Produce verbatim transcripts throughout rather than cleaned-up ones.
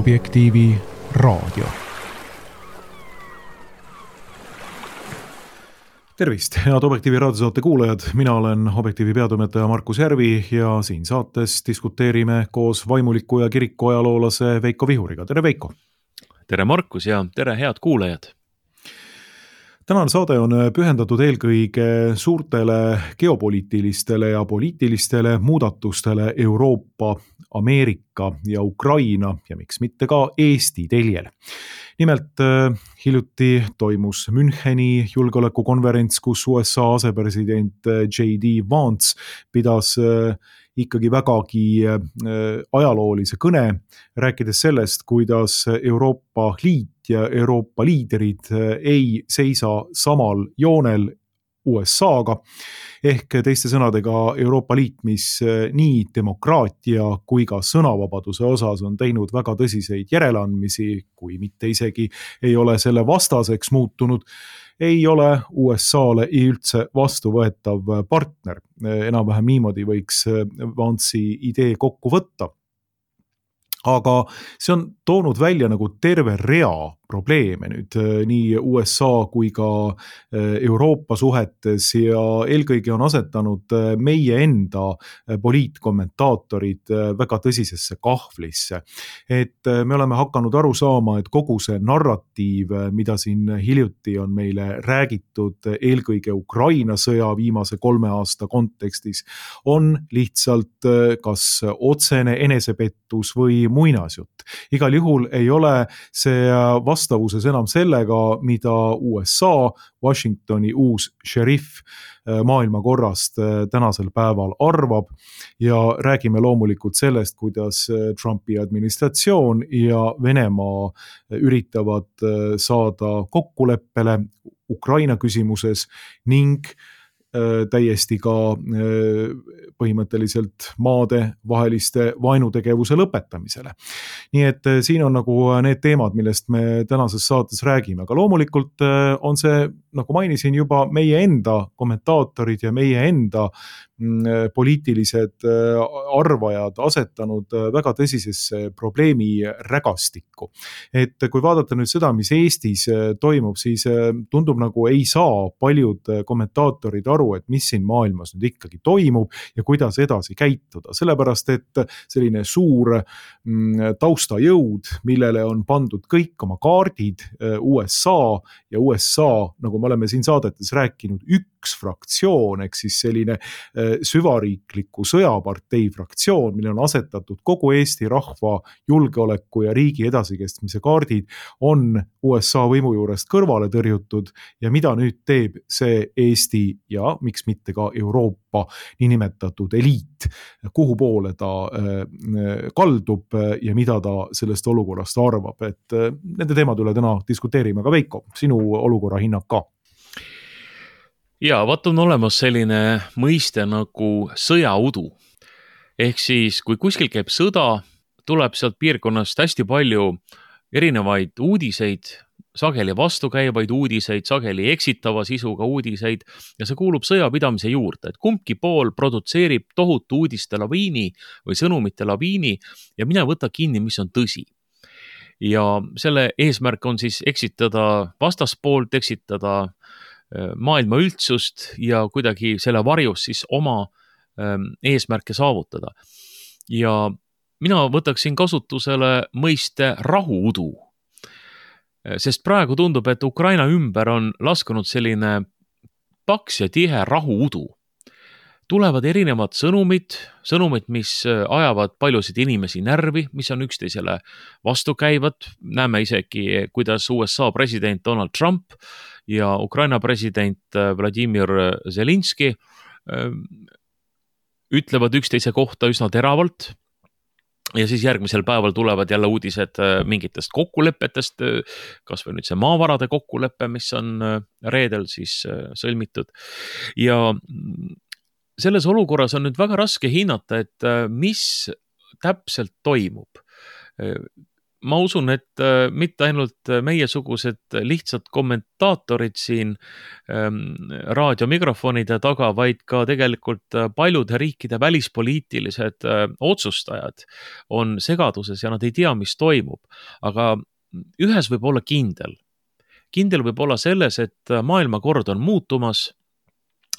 Objektiivi raadio. Tervist, head Objektiivi raadiosaate kuulajad. Mina olen Objektiivi peatoimetaja Markus Järvi ja siin saates diskuteerime koos vaimuliku ja kiriku ajaloolase Veiko Vihuriga. Tere Veiko! Tere Markus ja tere head kuulajad! Tänane saade on pühendatud eelkõige suurtele geopoliitilistele ja poliitilistele muudatustele Euroopa, Ameerika ja Ukraina ja miks mitte ka Eesti teljel. Nimelt hiljuti toimus Müncheni julgeolekukonverents, kus U S A asepresident J D Vance pidas ikkagi vägagi ajaloolise kõne, rääkides sellest, kuidas Euroopa Liit ja Euroopa liiderid ei seisa samal joonel U S A-ga, ehk teiste sõnadega Euroopa Liit, mis nii demokraatia kui ka sõnavabaduse osas on teinud väga tõsiseid järeleandmisi, kui mitte isegi ei ole selle vastaseks muutunud, ei ole U S A-le üldse vastuvõetav partner. Enam-vähem niimoodi võiks Vance'i idee kokku võtta. Aga see on toonud välja nagu terve rea probleeme nüüd nii U S A kui ka Euroopa suhetes ja eelkõige on asetanud meie enda poliitkommentaatorid väga tõsisesse kahvlisse. Et me oleme hakanud aru saama, et kogu see narratiiv, mida siin hiljuti on meile räägitud eelkõige Ukraina sõja viimase kolme aasta kontekstis, on lihtsalt kas otsene enesepettus või muinasjutt. Igal juhul ei ole see vastavuses enam sellega, mida U S A, Washingtoni uus šerif maailmakorrast tänasel päeval arvab ja räägime loomulikult sellest, kuidas Trumpi administratsioon ja Venemaa üritavad saada kokkuleppele Ukraina küsimuses ning täiesti ka põhimõtteliselt maade vaheliste vaenutegevuse lõpetamisele. Nii et siin on nagu need teemad, millest me tänases saates räägime, aga loomulikult on see, nagu mainisin juba, meie enda kommentaatorid ja meie enda poliitilised arvajad asetanud väga tõsisesse probleemi rägastikku. Et kui vaadata nüüd seda, mis Eestis toimub, siis tundub nagu ei saa paljud kommentaatorid aru, et mis siin maailmas nüüd ikkagi toimub ja kuidas edasi käituda. Sellepärast, et selline suur taustajõud, millele on pandud kõik oma kaardid, U S A ja U S A, nagu me oleme siin saadetes rääkinud, üks fraktsioon, ehk siis selline süvariikliku sõjapartei fraktsioon, mille on asetatud kogu Eesti rahva julgeoleku ja riigi edasikestmise kaardid, on U S A võimu juurest kõrvale tõrjutud ja mida nüüd teeb see Eesti ja miks mitte ka Euroopa niinimetatud eliit, kuhu poole ta kaldub ja mida ta sellest olukorrast arvab. Et nende teemad üle täna diskuteerime, aga Veiko, sinu olukorra hinnang ka. Ja, vaat on olemas selline mõiste nagu sõjaudu. Ehk siis, kui kuskil käib sõda, tuleb sealt piirkonnast hästi palju erinevaid uudiseid, sageli vastukäivaid uudiseid, sageli eksitava sisuga uudiseid ja see kuulub sõjapidamise juurde, et kumbki pool produtseerib tohutu uudiste laviini või sõnumite laviini ja mine võta kinni, mis on tõsi. Ja selle eesmärk on siis eksitada vastaspoolt, eksitada maailma üldsust ja kuidagi selle varjus siis oma eesmärke saavutada. Ja mina võtaksin kasutusele mõiste rahuudu. Sest praegu tundub, et Ukraina ümber on laskunud selline paks ja tihe rahuudu. Tulevad erinevad sõnumid, sõnumid, mis ajavad paljusid inimesi närvi, mis on üksteisele vastukäivad. Näeme isegi, kuidas U S A president Donald Trump ja Ukraina president Vladimir Zelinski ütlevad üksteise kohta üsna teravalt ja siis järgmisel päeval tulevad jälle uudised mingitest kokkulepetest, kas või nüüd see maavarade kokkulepe, mis on reedel siis sõlmitud. Ja selles olukorras on nüüd väga raske hinnata, et mis täpselt toimub. ma usun, et mitte ainult meiesugused lihtsad kommentaatorid siin raadiomikrofonide taga, vaid ka tegelikult paljude riikide välispoliitilised otsustajad on segaduses ja nad ei tea, mis toimub. Aga ühes võib olla kindel. Kindel võib olla selles, et maailmakord on muutumas,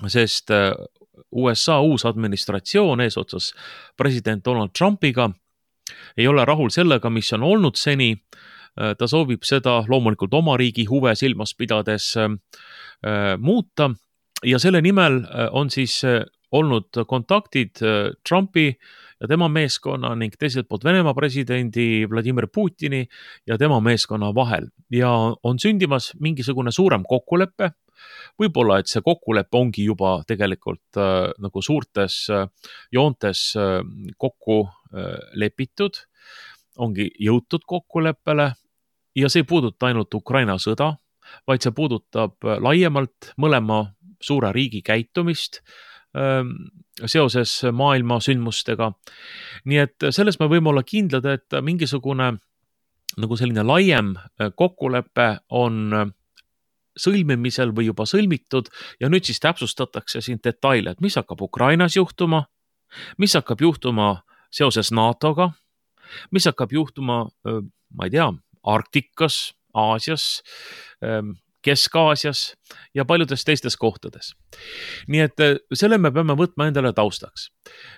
sest U S A uus administratsioon eesotsas president Donald Trumpiga ei ole rahul sellega, mis on olnud seni. Ta soovib seda loomulikult oma riigi huve silmas pidades muuta ja selle nimel on siis olnud kontaktid Trumpi ja tema meeskonna ning teiselt poolt Venemaa presidendi Vladimir Putini ja tema meeskonna vahel. Ja on sündimas mingisugune suurem kokkulepe. Võib-olla, et see kokkulepe ongi juba tegelikult äh, nagu suurtes äh, joontes äh, kokku äh, lepitud, ongi jõutud kokkuleppele ja see ei puuduta ainult Ukraina sõda, vaid see puudutab äh, laiemalt mõlema suure riigi käitumist äh, seoses maailma sündmustega. Nii et selles me võime olla kindlad, et mingisugune nagu selline laiem kokkulepe on sõlmimisel või juba sõlmitud ja nüüd siis täpsustatakse siin detaile, et mis hakkab Ukrainas juhtuma, mis hakkab juhtuma seoses NATOga, mis hakkab juhtuma, ma ei tea, Arktikas, Aasias, Kesk-Aasias ja paljudes teistes kohtades. Nii et selle me peame võtma endale taustaks.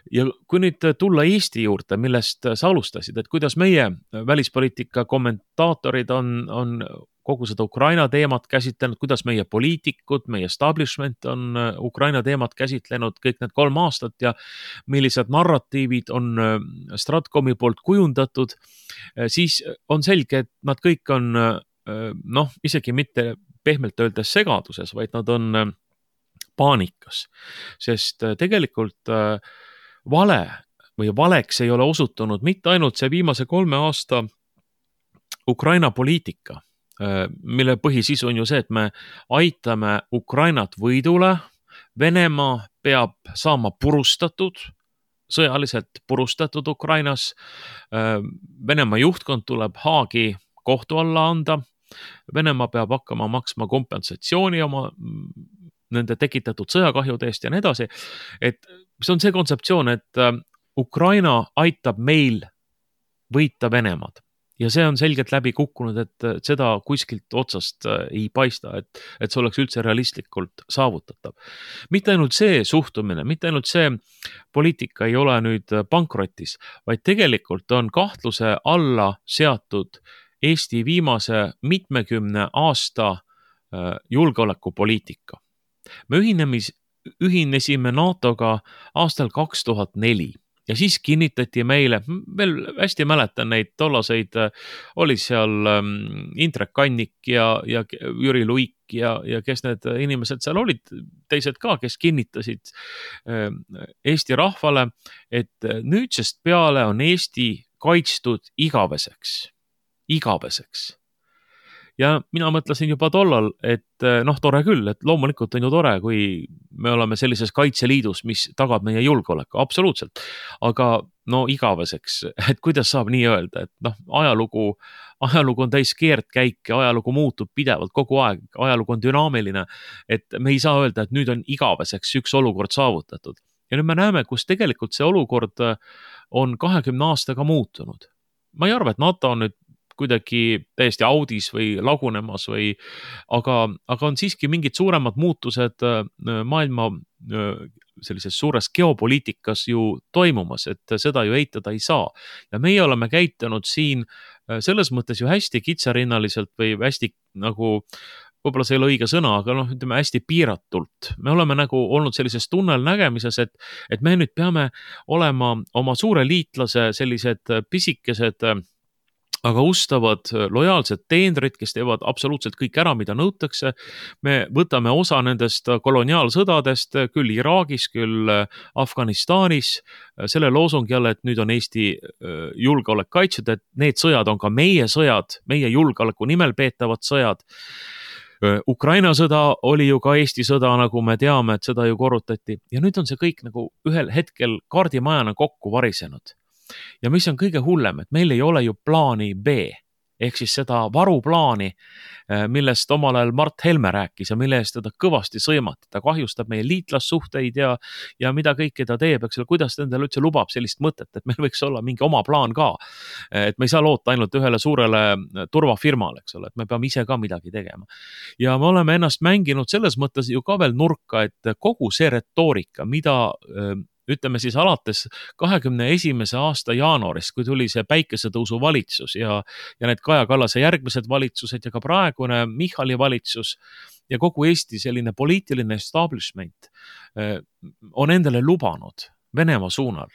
Ja kui nüüd tulla Eesti juurde, millest sa alustasid, et kuidas meie välispoliitika kommentaatorid on, on kogu seda Ukraina teemat käsitlenud, kuidas meie poliitikud, meie establishment on Ukraina teemat käsitlenud kõik need kolm aastat ja millised narratiivid on Stratcomi poolt kujundatud, siis on selge, et nad kõik on noh, isegi mitte pehmelt öeldes segaduses, vaid nad on paanikas, sest tegelikult vale või valeks ei ole osutunud mitte ainult see viimase kolme aasta Ukraina poliitika, mille põhisisu on ju see, et me aitame Ukrainat võidule, Venemaa peab saama purustatud, sõjaliselt purustatud Ukrainas, Venemaa juhtkond tuleb Haagi kohtu alla anda, Venemaa peab hakkama maksma kompensatsiooni oma nende tekitatud sõjakahjude eest ja nii edasi, et see on see kontseptsioon, et Ukraina aitab meil võita Venemaad. Ja see on selgelt läbi kukkunud, et seda kuskilt otsast ei paista, et, et see oleks üldse realistlikult saavutatav. Mitte ainult see suhtumine, mitte ainult see poliitika ei ole nüüd pankrotis, vaid tegelikult on kahtluse alla seatud Eesti viimase mitmekümne aasta julgeolekupoliitika. Me ühinemis, ühinesime NATOga aastal kaks tuhat neli. Ja siis kinnitati meile, veel hästi mäletan neid tollaseid, oli seal Indrek Kannik ja, ja Jüri Luik ja, ja kes need inimesed seal olid, teised ka, kes kinnitasid Eesti rahvale, et nüüdsest peale on Eesti kaitstud igaveseks, igaveseks. Ja mina mõtlesin juba tollal, et noh, tore küll, et loomulikult on ju tore, kui me oleme sellises kaitseliidus, mis tagab meie julgeoleku, absoluutselt. Aga no igaveseks, et kuidas saab nii öelda, et noh, ajalugu, ajalugu on täis keerdkäike, ajalugu muutub pidevalt kogu aeg, ajalugu on dünaamiline, et me ei saa öelda, et nüüd on igaveseks üks olukord saavutatud. Ja nüüd me näeme, kus tegelikult see olukord on kahekümne aastaga muutunud. Ma ei arva, et NATO on nüüd kuidagi täiesti audis või lagunemas või, aga, aga on siiski mingid suuremad muutused maailma sellises suures geopoliitikas ju toimumas, et seda ju eitada ei saa. Ja meie oleme käitunud siin selles mõttes ju hästi kitsarinnaliselt või hästi nagu, võib-olla see ei ole õige sõna, aga noh, ütleme hästi piiratult. Me oleme nagu olnud sellises tunnel nägemises, et, et me nüüd peame olema oma suure liitlase sellised pisikesed aga ustavad lojaalsed teenrid, kes teevad absoluutselt kõik ära, mida nõutakse. Me võtame osa nendest koloniaalsõdadest, küll Iraagis, küll Afganistanis, selle loosungi jälle, et nüüd on Eesti julgeolek kaitstud, et need sõjad on ka meie sõjad, meie julgeoleku nimel peetavad sõjad. Ukraina sõda oli ju ka Eesti sõda, nagu me teame, et seda ju korrutati. Ja nüüd on see kõik nagu ühel hetkel kaardimajana kokku varisenud. ja mis on kõige hullem, et meil ei ole ju plaani B ehk siis seda varuplaani, millest omal ajal Mart Helme rääkis ja mille eest teda kõvasti sõimati. Ta kahjustab meie liitlassuhteid ja, ja mida kõike ta teeb, eks ole, kuidas ta endale üldse lubab sellist mõtet, et meil võiks olla mingi oma plaan ka. Et me ei saa loota ainult ühele suurele turvafirmale, eks ole, et me peame ise ka midagi tegema. Ja me oleme ennast mänginud selles mõttes ju ka veel nurka, et kogu see retoorika, mida ütleme siis alates kahekümne esimese aasta jaanuarist, kui tuli see päikesetõusu valitsus ja, ja need Kaja Kallase järgmised valitsused ja ka praegune Michali valitsus ja kogu Eesti selline poliitiline establishment on endale lubanud Venemaa suunal.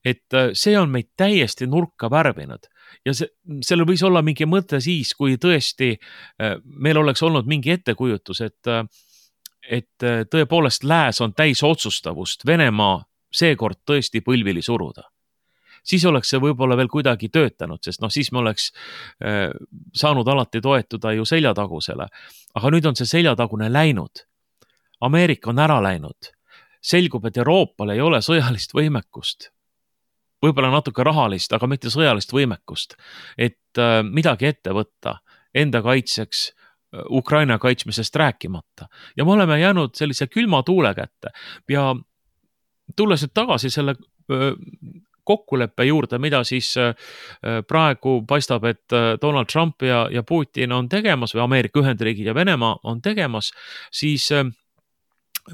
Et see on meid täiesti nurka värvinud ja see, sellel võis olla mingi mõte siis, kui tõesti meil oleks olnud mingi ettekujutus, et et tõepoolest lääs on täis otsustavust Venemaa seekord tõesti põlvili suruda. Siis oleks see võib-olla veel kuidagi töötanud, sest noh, siis me oleks äh, saanud alati toetuda ju seljatagusele. Aga nüüd on see seljatagune läinud. Ameerika on ära läinud. Selgub, et Euroopal ei ole sõjalist võimekust. Võib-olla natuke rahalist, aga mitte sõjalist võimekust. Et äh, midagi ette võtta enda kaitseks, Ukraina kaitsmisest rääkimata. Ja me oleme jäänud sellise külma tuule kätte. Ja tulles nüüd tagasi selle kokkuleppe juurde, mida siis praegu paistab, et Donald Trump ja, ja Putin on tegemas või Ameerika Ühendriigid ja Venemaa on tegemas, siis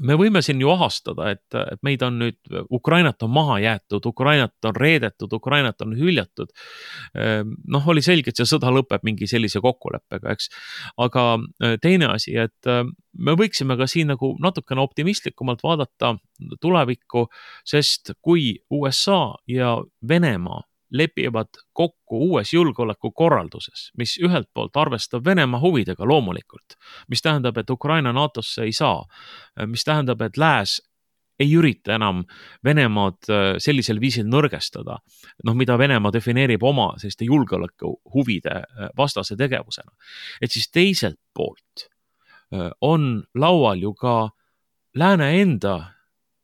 me võime siin ju ahastada, et, et meid on nüüd, Ukrainat on maha jäetud, Ukrainat on reedetud, Ukrainat on hüljatud. Noh, oli selge, et see sõda lõpeb mingi sellise kokkuleppega, eks. Aga teine asi, et me võiksime ka siin nagu natukene optimistlikumalt vaadata tulevikku, sest kui U S A ja Venemaa lepivad kokku uues julgeolekukorralduses, mis ühelt poolt arvestab Venemaa huvidega loomulikult, mis tähendab, et Ukraina NATOsse ei saa, mis tähendab, et lääs ei ürita enam Venemaad sellisel viisil nõrgestada, noh, mida Venemaa defineerib oma selliste julgeoleku huvide vastase tegevusena. Et siis teiselt poolt on laual ju ka lääne enda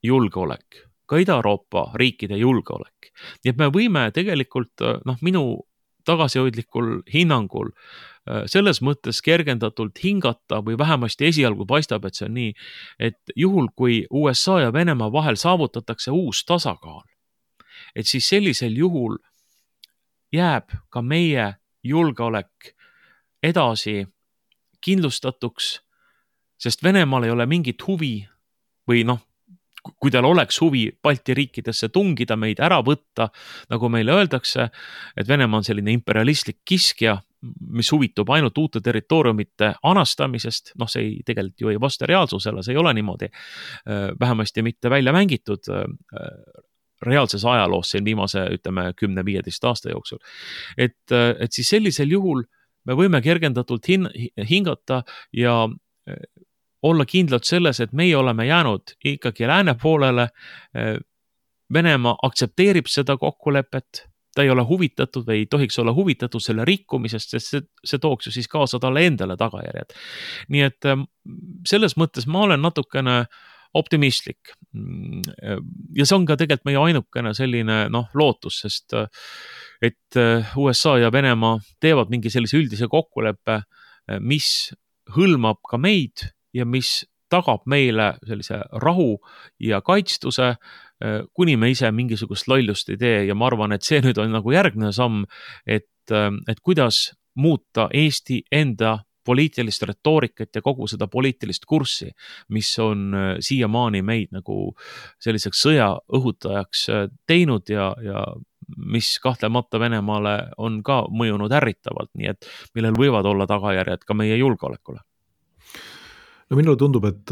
julgeolek, ka Ida-Euroopa riikide julgeolek. Nii et me võime tegelikult, noh, minu tagasihoidlikul hinnangul selles mõttes kergendatult hingata või vähemasti esialgu paistab, et see on nii, et juhul kui U S A ja Venemaa vahel saavutatakse uus tasakaal, et siis sellisel juhul jääb ka meie julgeolek edasi kindlustatuks, sest Venemaal ei ole mingit huvi või noh, kui tal oleks huvi Balti riikidesse tungida, meid ära võtta, nagu meile öeldakse, et Venemaa on selline imperialistlik kiskja, mis huvitub ainult uute territooriumite anastamisest, noh, see ei, tegelikult ju ei vasta reaalsusele, see ei ole niimoodi, vähemasti mitte välja mängitud reaalses ajaloos siin viimase, ütleme, kümne viieteist aasta jooksul. Et, et siis sellisel juhul me võime kergendatult hin- hingata ja olla kindlad selles, et meie oleme jäänud ikkagi lääne poolele. Venemaa aktsepteerib seda kokkulepet, ta ei ole huvitatud või ei tohiks olla huvitatud selle rikkumisest, sest see, see tooks ju siis kaasa talle endale tagajärjed. Nii et selles mõttes ma olen natukene optimistlik. Ja see on ka tegelikult meie ainukene selline noh, lootus, sest et U S A ja Venemaa teevad mingi sellise üldise kokkuleppe, mis hõlmab ka meid ja mis tagab meile sellise rahu ja kaitstuse, kuni me ise mingisugust lollust ei tee ja ma arvan, et see nüüd on nagu järgmine samm, et, et kuidas muuta Eesti enda poliitilist retoorikat ja kogu seda poliitilist kurssi, mis on siiamaani meid nagu selliseks sõja õhutajaks teinud ja, ja mis kahtlemata Venemaale on ka mõjunud ärritavalt, nii et millel võivad olla tagajärjed ka meie julgeolekule. No minule tundub, et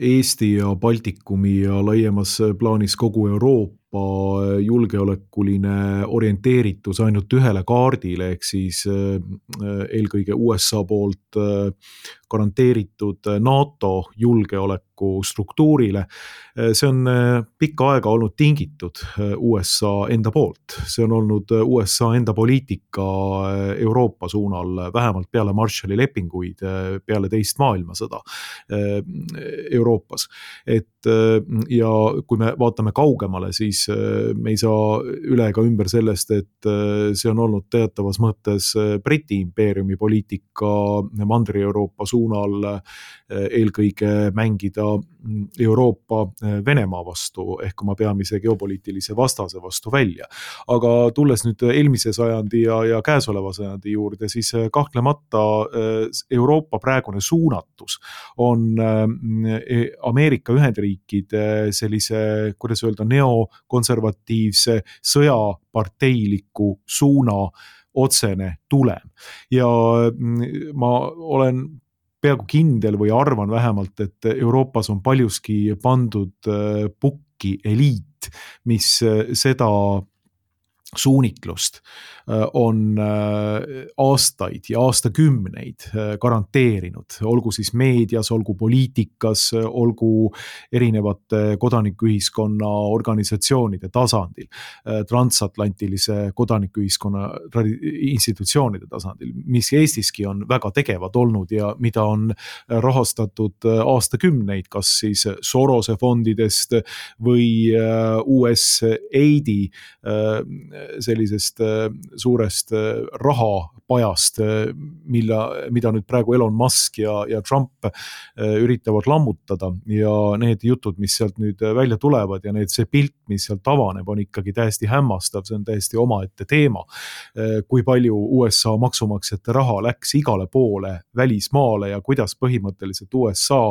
Eesti ja Baltikumi ja laiemas plaanis kogu Euroopa julgeolekuline orienteeritus ainult ühele kaardile, ehk siis eelkõige U S A poolt garanteeritud NATO julgeoleku struktuurile. See on pikka aega olnud tingitud U S A enda poolt. See on olnud U S A enda poliitika Euroopa suunal, vähemalt peale Marshalli lepinguid, peale teist maailmasõda Euroopas. Et, ja kui me vaatame kaugemale, siis siis me ei saa üle ega ümber sellest, et see on olnud teatavas mõttes Briti impeeriumi poliitika Mandri-Euroopa suunal eelkõige mängida Euroopa Venemaa vastu ehk oma peamise geopoliitilise vastase vastu välja. Aga tulles nüüd eelmise sajandi ja, ja käesoleva sajandi juurde, siis kahtlemata Euroopa praegune suunatus on Ameerika Ühendriikide sellise, kuidas öelda, neokonservatiivse sõjaparteiliku suuna otsene tulem. Ja ma olen peaaegu kindel või arvan vähemalt, et Euroopas on paljuski pandud pukki eliit, mis seda suunitlust on aastaid ja aastakümneid garanteerinud, olgu siis meedias, olgu poliitikas, olgu erinevate kodanikuühiskonna organisatsioonide tasandil, transatlantilise kodanikuühiskonna institutsioonide tasandil, mis Eestiski on väga tegevad olnud ja mida on rahastatud aastakümneid, kas siis Sorose fondidest või U S A I D-i sellisest suurest rahapajast, mille, mida nüüd praegu Elon Musk ja, ja Trump üritavad lammutada ja need jutud, mis sealt nüüd välja tulevad ja need, see pilt, mis sealt avaneb, on ikkagi täiesti hämmastav, see on täiesti omaette teema. Kui palju U S A maksumaksjate raha läks igale poole välismaale ja kuidas põhimõtteliselt U S A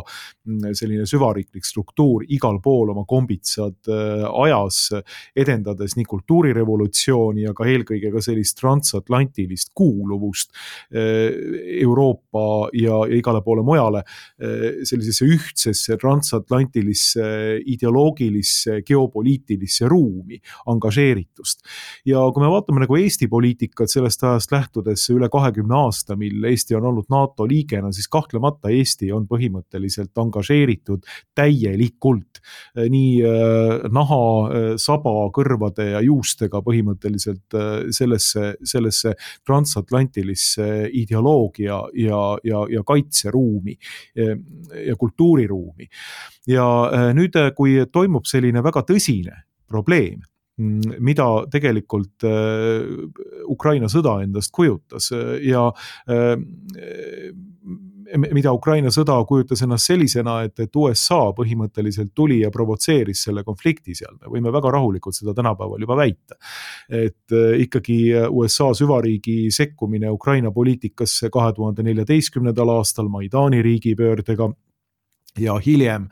selline süvariiklik struktuur igal pool oma kombitsad ajas, edendades nii kultuurirevolutsiooni ja ka eelkõige ka sellist transatlantilist kuuluvust Euroopa ja, ja igale poole mujale sellisesse ühtsesse transatlantilisse ideoloogilisse geopoliitilisse ruumi angažeeritust. Ja kui me vaatame nagu Eesti poliitikat sellest ajast lähtudes üle kahekümne aasta, mil Eesti on olnud NATO liigena, siis kahtlemata Eesti on põhimõtteliselt angažeeritud täielikult nii naha, saba, kõrvade ja juustega põhimõtteliselt sellesse, sellesse transatlantilisse ideoloogia ja, ja, ja kaitseruumi ja kultuuriruumi. Ja nüüd, kui toimub selline väga tõsine probleem, mida tegelikult Ukraina sõda endast kujutas ja mida Ukraina sõda kujutas ennast sellisena, et, et U S A põhimõtteliselt tuli ja provotseeris selle konflikti seal. Me võime väga rahulikult seda tänapäeval juba väita. Et ikkagi U S A süvariigi sekkumine Ukraina poliitikasse kahe tuhande neljateistkümnendal aastal Maidani riigipöördega ja hiljem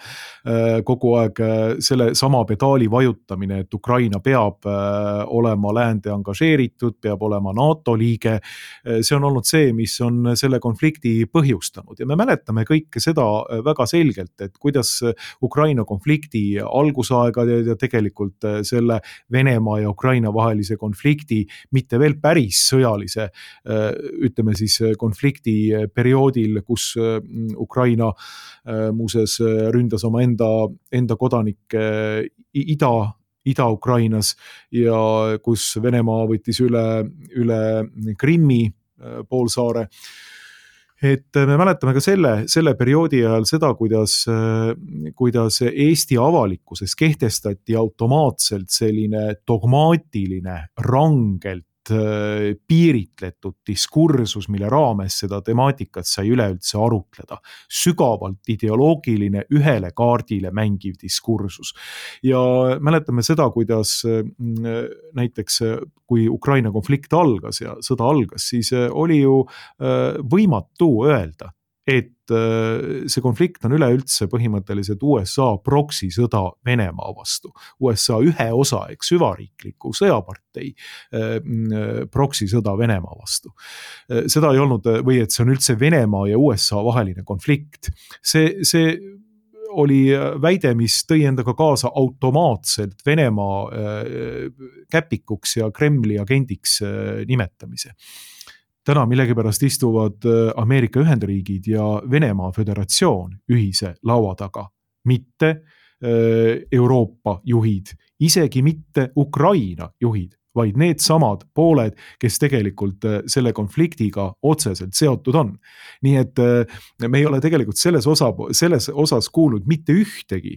kogu aeg selle sama pedaali vajutamine, et Ukraina peab olema läände angažeeritud, peab olema NATO liige. See on olnud see, mis on selle konflikti põhjustanud ja me mäletame kõike seda väga selgelt, et kuidas Ukraina konflikti algusaegad ja tegelikult selle Venemaa ja Ukraina vahelise konflikti mitte veel päris sõjalise, ütleme siis konflikti perioodil, kus Ukraina muuses ründas oma enda, enda kodanikke ida, Ida-Ukrainas ja kus Venemaa võttis üle, üle Krimmi poolsaare. Et me mäletame ka selle, selle perioodi ajal seda, kuidas, kuidas Eesti avalikkuses kehtestati automaatselt selline dogmaatiline, rangelt piiritletud diskursus, mille raames seda temaatikat sai üleüldse arutleda. Sügavalt ideoloogiline, ühele kaardile mängiv diskursus. Ja mäletame seda, kuidas näiteks kui Ukraina konflikt algas ja sõda algas, siis oli ju võimatu öelda, et see konflikt on üleüldse põhimõtteliselt U S A proksi sõda Venemaa vastu. U S A ühe osa, eks süvariikliku sõjapartei proksi sõda Venemaa vastu. Seda ei olnud, või et see on üldse Venemaa ja U S A vaheline konflikt. See, see oli väide, mis tõi endaga kaasa automaatselt Venemaa käpikuks ja Kremli agendiks nimetamise. Täna millegipärast istuvad Ameerika Ühendriigid ja Venemaa Föderatsioon ühise laua taga, mitte Euroopa juhid, isegi mitte Ukraina juhid vaid need samad pooled, kes tegelikult selle konfliktiga otseselt seotud on. Nii et me ei ole tegelikult selles, osa, selles osas kuulnud mitte ühtegi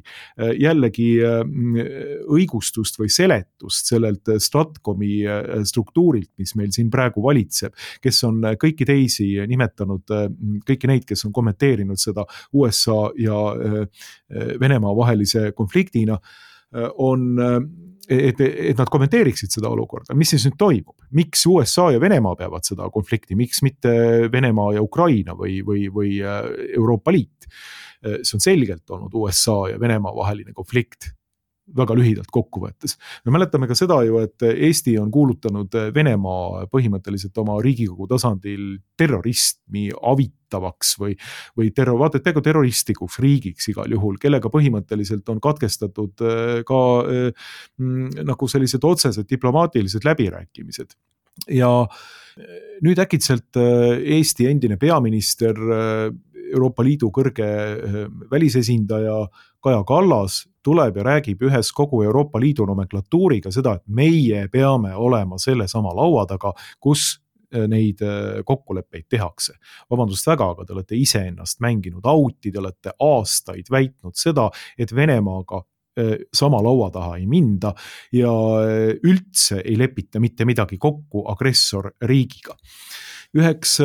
jällegi õigustust või seletust sellelt Stratcomi struktuurilt, mis meil siin praegu valitseb, kes on kõiki teisi nimetanud, kõiki neid, kes on kommenteerinud seda U S A ja Venemaa vahelise konfliktina, on Et, et nad kommenteeriksid seda olukorda, mis siis nüüd toimub, miks U S A ja Venemaa peavad seda konflikti, miks mitte Venemaa ja Ukraina või, või, või Euroopa Liit. See on selgelt olnud U S A ja Venemaa vaheline konflikt, väga lühidalt kokku võttes. Me mäletame ka seda ju, et Eesti on kuulutanud Venemaa põhimõtteliselt oma Riigikogu tasandil terrorismi avitavaks või, või terror, vaata, et peaaegu terroristikuks riigiks igal juhul, kellega põhimõtteliselt on katkestatud ka mm, nagu sellised otsesed diplomaatilised läbirääkimised. Ja nüüd äkitselt Eesti endine peaminister, Euroopa Liidu kõrge välisesindaja Kaja Kallas tuleb ja räägib ühes kogu Euroopa Liidu nomenklatuuriga seda, et meie peame olema selle sama laua taga, kus neid kokkuleppeid tehakse. Vabandust väga, aga te olete ise ennast mänginud auti, te olete aastaid väitnud seda, et Venemaaga sama laua taha ei minda ja üldse ei lepita mitte midagi kokku agressorriigiga. Üheks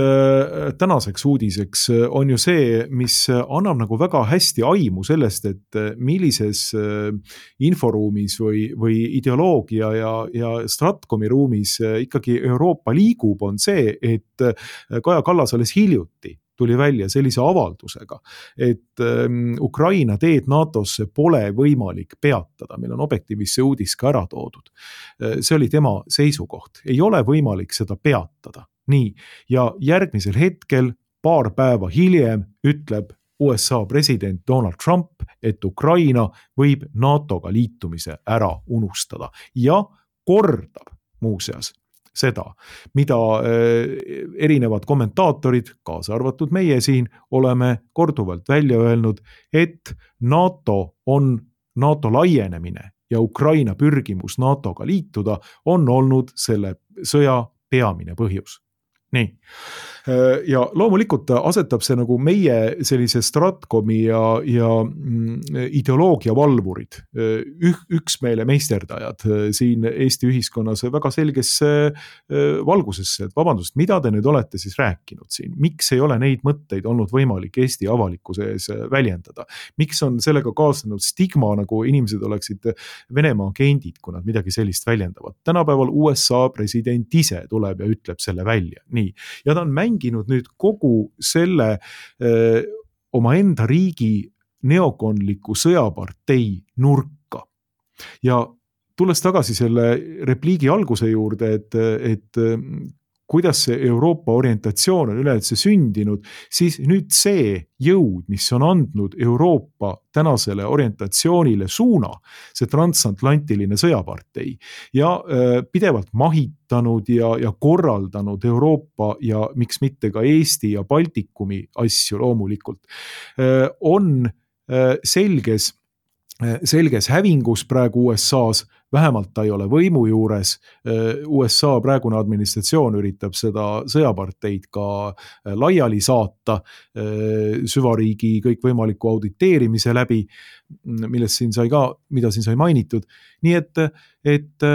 tänaseks uudiseks on ju see, mis annab nagu väga hästi aimu sellest, et millises inforuumis või, või ideoloogia ja, ja Stratcomi ruumis ikkagi Euroopa liigub, on see, et Kaja Kallas alles hiljuti tuli välja sellise avaldusega, et Ukraina teed NATOsse pole võimalik peatada. Meil on Objektiivis see uudis ka ära toodud. See oli tema seisukoht. Ei ole võimalik seda peatada. Nii, ja järgmisel hetkel, paar päeva hiljem, ütleb U S A president Donald Trump, et Ukraina võib NATOga liitumise ära unustada ja kordab muuseas seda, mida erinevad kommentaatorid, kaasa arvatud meie siin, oleme korduvalt välja öelnud, et NATO on NATO laienemine ja Ukraina pürgimus NATOga liituda on olnud selle sõja peamine põhjus. Nii. Ja loomulikult asetab see nagu meie sellise Stratcomi ja, ja ideoloogia valvurid, üksmeele meisterdajad siin Eesti ühiskonnas väga selgesse valgusesse, et vabandust, mida te nüüd olete siis rääkinud siin? Miks ei ole neid mõtteid olnud võimalik Eesti avalikkuse ees väljendada? Miks on sellega kaasnenud stigma, nagu inimesed oleksid Venemaa agendid, kui nad midagi sellist väljendavad? Tänapäeval U S A president ise tuleb ja ütleb selle välja. Nii. Ja ta on mänginud nüüd kogu selle öö, oma enda riigi neokonliku sõjapartei nurka. Ja tulles tagasi selle repliigi alguse juurde, et, et kuidas see Euroopa orientatsioon on üleüldse sündinud, siis nüüd see jõud, mis on andnud Euroopa tänasele orientatsioonile suuna, see transatlantiline sõjapartei ja äh, pidevalt mahitanud ja, ja korraldanud Euroopa ja miks mitte ka Eesti ja Baltikumi asju loomulikult, äh, on äh, selges selges hävingus praegu U S A-s, vähemalt ta ei ole võimu juures. U S A praegune administratsioon üritab seda sõjaparteid ka laiali saata süvariigi kõikvõimaliku auditeerimise läbi, millest siin sai ka, mida siin sai mainitud. Nii et, et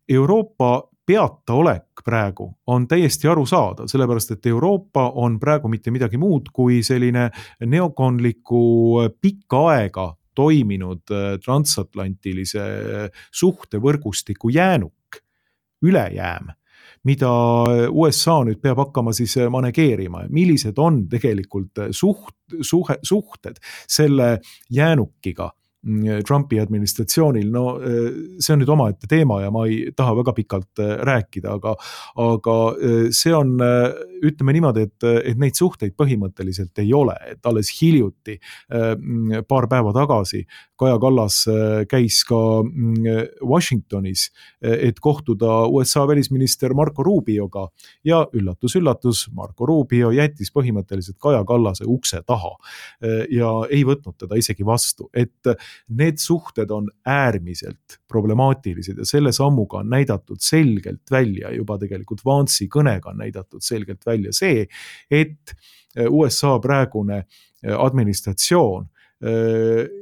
Euroopa peataolek praegu on täiesti aru saada, sellepärast et Euroopa on praegu mitte midagi muud kui selline neokonliku pikka aega toiminud transatlantilise suhtevõrgustiku jäänuk, ülejääm, mida U S A nüüd peab hakkama siis manegeerima. Millised on tegelikult suht, suhe, suhted selle jäänukiga Trumpi administratsioonil? No see on nüüd omaette teema ja ma ei taha väga pikalt rääkida, aga, aga see on, ütleme niimoodi, et, et neid suhteid põhimõtteliselt ei ole, et alles hiljuti, paar päeva tagasi Kaja Kallas käis ka Washingtonis, et kohtuda U S A välisminister Marco Rubioga ja üllatus, üllatus, Marco Rubio jättis põhimõtteliselt Kaja Kallase ukse taha ja ei võtnud teda isegi vastu, et need suhted on äärmiselt problemaatilised ja selle sammuga on näidatud selgelt välja, juba tegelikult Vance'i kõnega on näidatud selgelt välja see, et U S A praegune administratsioon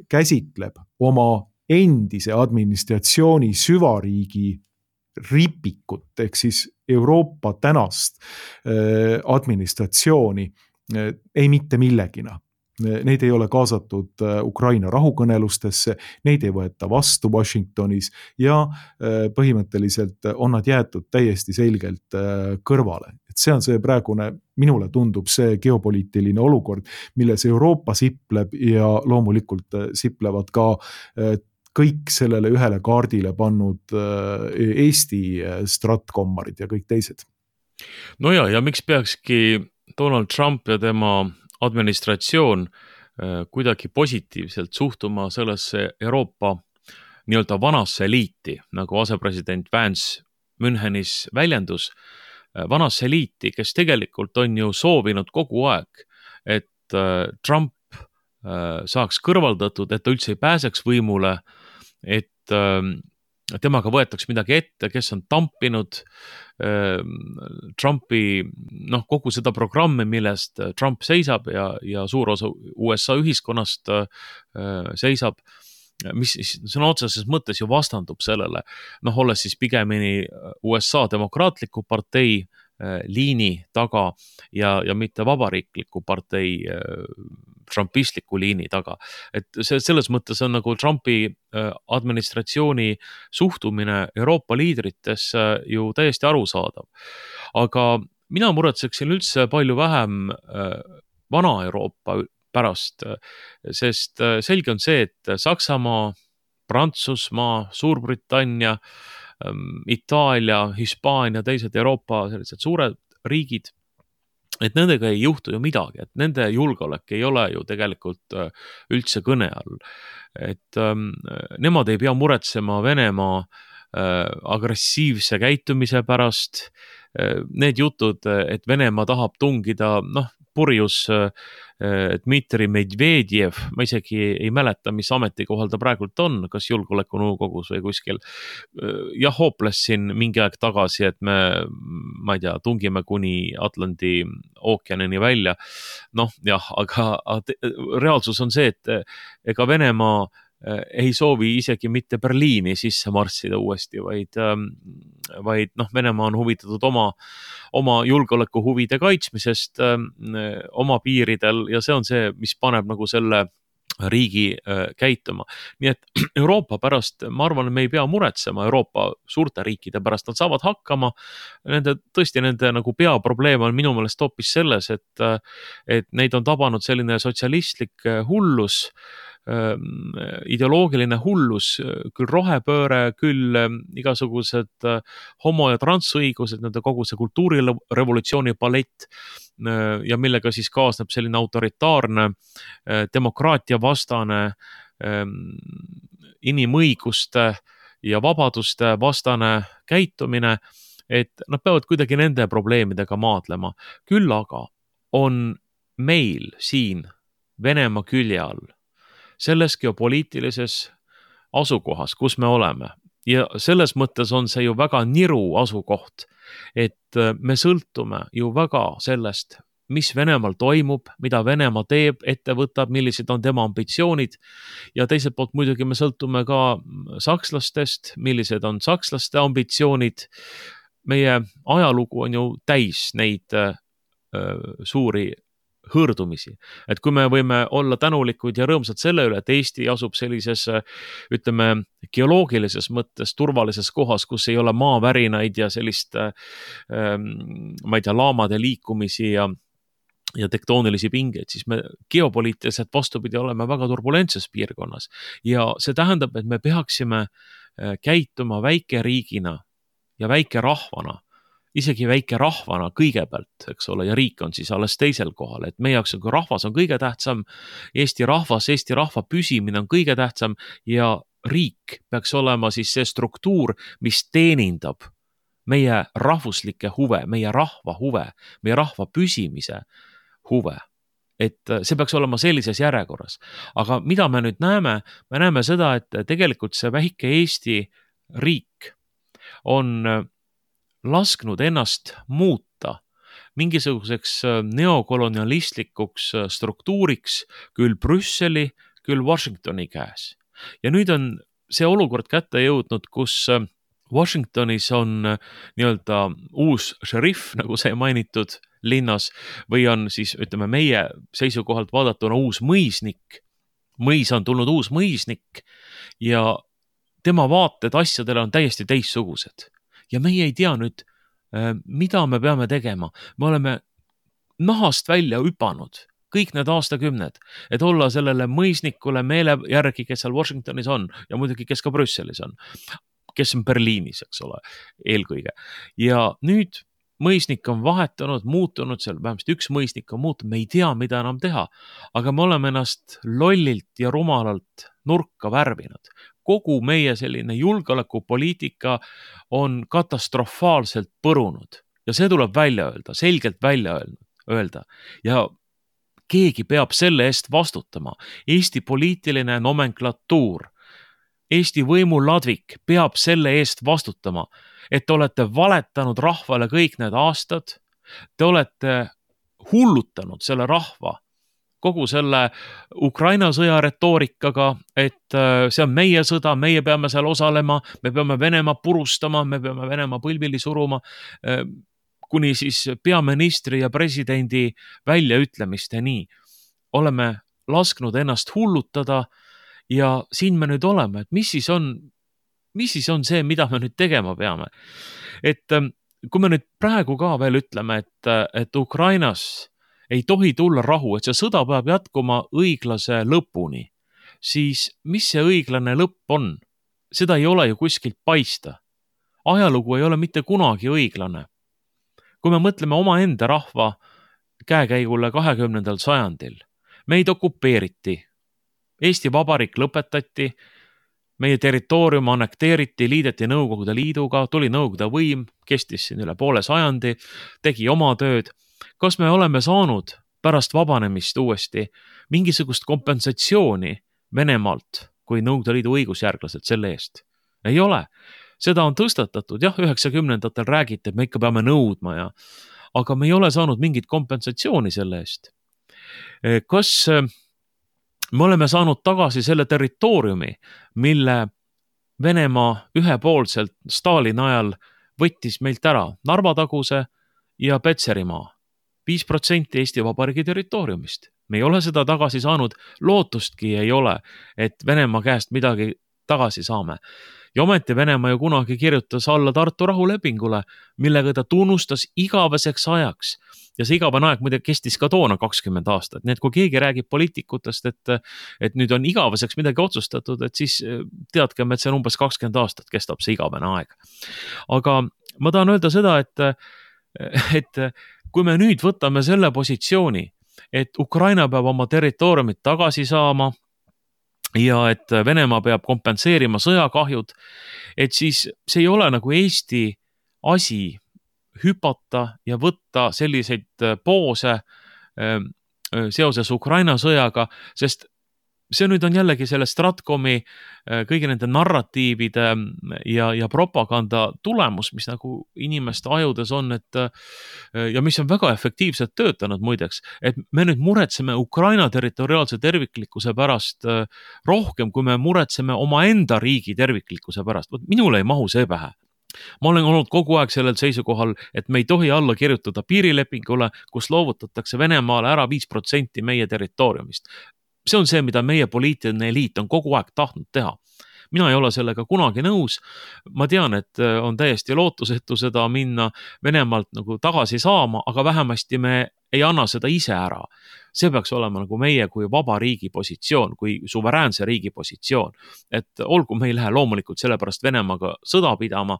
käsitleb oma endise administratsiooni süvariigi ripikut, ehk siis Euroopa tänast administratsiooni ei mitte millegina. Neid ei ole kaasatud Ukraina rahukõnelustesse, neid ei võeta vastu Washingtonis ja põhimõtteliselt on nad jäetud täiesti selgelt kõrvale. Et see on see praegune, minule tundub see geopoliitiline olukord, milles Euroopa sipleb ja loomulikult siplevad ka kõik sellele ühele kaardile pannud Eesti stratkommarid ja kõik teised. No ja, ja miks peakski Donald Trump ja tema administratsioon kuidagi positiivselt suhtuma sellesse Euroopa nii-öelda vanasse liiti, nagu asepresident Vance Münchenis väljendus, vanasse liiti, kes tegelikult on ju soovinud kogu aeg, et Trump saaks kõrvaldatud, et ta üldse ei pääseks võimule, et temaga võetaks midagi ette, kes on tampinud Trumpi, noh, kogu seda programmi, millest Trump seisab ja, ja suur osa U S A ühiskonnast seisab, mis sõna otseses mõttes ju vastandub sellele, noh, olles siis pigemini U S A demokraatliku partei liini taga ja, ja mitte vabariikliku partei trumpistliku liini taga. Et see, selles mõttes on nagu Trumpi administratsiooni suhtumine Euroopa liidritesse ju täiesti arusaadav. Aga mina muretseksin üldse palju vähem vana Euroopa pärast, sest selge on see, et Saksamaa, Prantsusmaa, Suurbritannia, Itaalia, Hispaania, teised Euroopa sellised suured riigid, et nendega ei juhtu ju midagi, et nende julgeolek ei ole ju tegelikult üldse kõne all. Et ähm, nemad ei pea muretsema Venemaa äh, agressiivse käitumise pärast. Need jutud, et Venemaa tahab tungida, noh, purjus Dmitri Medvedjev, ma isegi ei mäleta, mis ametikohal ta praegult on, kas julgeolekunõukogus või kuskil. Ja hooples siin mingi aeg tagasi, et me, ma ei tea, tungime kuni Atlandi ookeanini välja. Noh, jah, aga reaalsus on see, et ega Venemaa ei soovi isegi mitte Berliini sisse marssida uuesti, vaid, vaid noh, Venemaa on huvitatud oma, oma julgeoleku huvide kaitsmisest oma piiridel ja see on see, mis paneb nagu selle riigi käituma. Nii et Euroopa pärast, ma arvan, me ei pea muretsema Euroopa suurte riikide pärast, nad saavad hakkama. Nende, tõesti nende nagu peaprobleem on minu meelest hoopis selles, et, et neid on tabanud selline sotsialistlik hullus, ideoloogiline hullus, küll rohepööre, küll igasugused homo- ja transõigused, nende kogu see kultuurirevolutsiooni palett ja millega siis kaasneb selline autoritaarne, demokraatia vastane, inimõiguste ja vabaduste vastane käitumine, et nad peavad kuidagi nende probleemidega maadlema. Küll aga on meil siin Venemaa külje all selles geopoliitilises asukohas, kus me oleme. Ja selles mõttes on see ju väga niru asukoht, et me sõltume ju väga sellest, mis Venemaal toimub, mida Venemaa teeb, ette võtab, millised on tema ambitsioonid ja teiselt poolt muidugi me sõltume ka sakslastest, millised on sakslaste ambitsioonid. Meie ajalugu on ju täis neid äh, suuri hõõrdumisi. Et kui me võime olla tänulikud ja rõõmsad selle üle, et Eesti asub sellises, ütleme, geoloogilises mõttes turvalises kohas, kus ei ole maavärinaid ja sellist, ma ei tea, laamade liikumisi ja, ja tektoonilisi pingeid, siis me geopoliitiliselt vastupidi oleme väga turbulentses piirkonnas. Ja see tähendab, et me peaksime käituma väikeriigina ja väike rahvana, isegi väike rahvana kõigepealt, eks ole, ja riik on siis alles teisel kohal, et meie jaoks on, kui rahvas on kõige tähtsam, Eesti rahvas, Eesti rahva püsimine on kõige tähtsam ja riik peaks olema siis see struktuur, mis teenindab meie rahvuslikke huve, meie rahva huve, meie rahva püsimise huve. et see peaks olema sellises järjekorras. Aga mida me nüüd näeme? Me näeme seda, et tegelikult see väike Eesti riik on lasknud ennast muuta mingisuguseks neokolonialistlikuks struktuuriks küll Brüsseli, küll Washingtoni käes. Ja nüüd on see olukord kätte jõudnud, kus Washingtonis on nii-öelda uus šerif, nagu see mainitud linnas, või on siis, ütleme, meie seisukohalt vaadatuna uus mõisnik. Mõis on tulnud uus mõisnik ja tema vaated asjadele on täiesti teistsugused. Ja meie ei tea nüüd, mida me peame tegema. Me oleme nahast välja hüpanud kõik need aastakümned, et olla sellele mõisnikule meele järgi, kes seal Washingtonis on ja muidugi, kes ka Brüsselis on, kes on Berliinis, eks ole, eelkõige. Ja nüüd mõisnik on vahetunud, muutunud seal, vähemasti üks mõisnik on muutunud, me ei tea, mida enam teha, aga me oleme ennast lollilt ja rumalalt nurka värvinud. Kogu meie selline julgeolekupoliitika on katastrofaalselt põrunud ja see tuleb välja öelda, selgelt välja öelda ja keegi peab selle eest vastutama. Eesti poliitiline nomenklatuur, Eesti võimuladvik peab selle eest vastutama, et te olete valetanud rahvale kõik need aastad, te olete hullutanud selle rahva kogu selle Ukraina sõja retoorikaga, et see on meie sõda, meie peame seal osalema, me peame Venemaa purustama, me peame Venemaa põlvili suruma, kuni siis peaministri ja presidendi väljaütlemisteni. Oleme lasknud ennast hullutada ja siin me nüüd oleme, et mis siis on, mis siis on see, mida me nüüd tegema peame. Et kui me nüüd praegu ka veel ütleme, et, et Ukrainas ei tohi tulla rahu, et see sõda peab jätkuma õiglase lõpuni, siis mis see õiglane lõpp on? Seda ei ole ju kuskilt paista. Ajalugu ei ole mitte kunagi õiglane. Kui me mõtleme omaenda rahva käekäigule kahekümnendal sajandil, meid okupeeriti, Eesti Vabariik lõpetati, meie territoorium annekteeriti, liideti Nõukogude Liiduga, tuli Nõukogude võim, kestis siin üle poole sajandi, tegi oma tööd. Kas me oleme saanud pärast vabanemist uuesti mingisugust kompensatsiooni Venemaalt kui Nõukogude Liidu õigusjärglased selle eest? Ei ole. Seda on tõstatatud, jah, üheksakümnendatel räägiti, et me ikka peame nõudma, ja, aga me ei ole saanud mingit kompensatsiooni selle eest. Kas me oleme saanud tagasi selle territooriumi, mille Venemaa ühepoolselt Stalini ajal võttis meilt ära Narva-taguse ja Petserimaa, viis protsenti Eesti Vabariigi territooriumist. Me ei ole seda tagasi saanud, lootustki ei ole, et Venemaa käest midagi tagasi saame. Ja ometi Venemaa ju kunagi kirjutas alla Tartu rahulepingule, millega ta tunnustas igaveseks ajaks. Ja see igavene aeg muide kestis ka toona kakskümmend aastat. Nii et kui keegi räägib poliitikutest, et, et nüüd on igaveseks midagi otsustatud, et siis teadkem, et see on umbes kakskümmend aastat kestab see igavene aeg. Aga ma tahan öelda seda, et, et kui me nüüd võtame selle positsiooni, et Ukraina peab oma territooriumit tagasi saama, ja et Venemaa peab kompenseerima sõjakahjud, et siis see ei ole nagu Eesti asi hüpata ja võtta selliseid poose seoses Ukraina sõjaga, sest see nüüd on jällegi selle Stratkomi kõigi nende narratiivide ja, ja propaganda tulemus, mis nagu inimeste ajudes on, et, ja mis on väga efektiivselt töötanud muideks, et me nüüd muretseme Ukraina territoriaalse terviklikkuse pärast rohkem, kui me muretseme omaenda riigi terviklikkuse pärast. Minule ei mahu see pähe. Ma olen olnud kogu aeg sellel seisukohal, et me ei tohi alla kirjutada piirilepingule, kus loovutatakse Venemaale ära viis protsenti meie territooriumist. See on see, mida meie poliitiline eliit on kogu aeg tahtnud teha. Mina ei ole sellega kunagi nõus. Ma tean, et on täiesti lootusetu seda minna Venemaalt nagu tagasi saama, aga vähemasti me ei anna seda ise ära. See peaks olema nagu meie kui vaba riigi positsioon, kui suveräänse riigi positsioon. Et olgu, me ei lähe loomulikult sellepärast Venemaaga sõda pidama,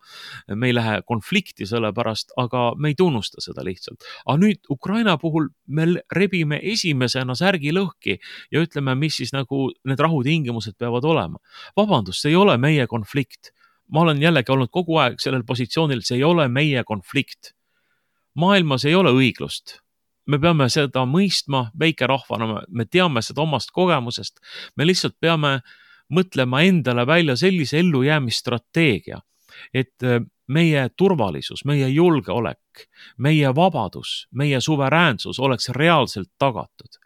me ei lähe konflikti sellepärast, aga me ei tunnusta seda lihtsalt. Aga nüüd Ukraina puhul me rebime esimesena särgi lõhki ja ütleme, mis siis nagu need rahutingimused peavad olema. Vabandust, see ei ole meie konflikt. Ma olen jällegi olnud kogu aeg sellel positsioonil, see ei ole meie konflikt. Maailmas ei ole õiglust. me peame seda mõistma väikerahvana, me teame seda omast kogemusest, me lihtsalt peame mõtlema endale välja sellise ellujäämisstrateegia, et meie turvalisus, meie julgeolek, meie vabadus, meie suveräänsus oleks reaalselt tagatud.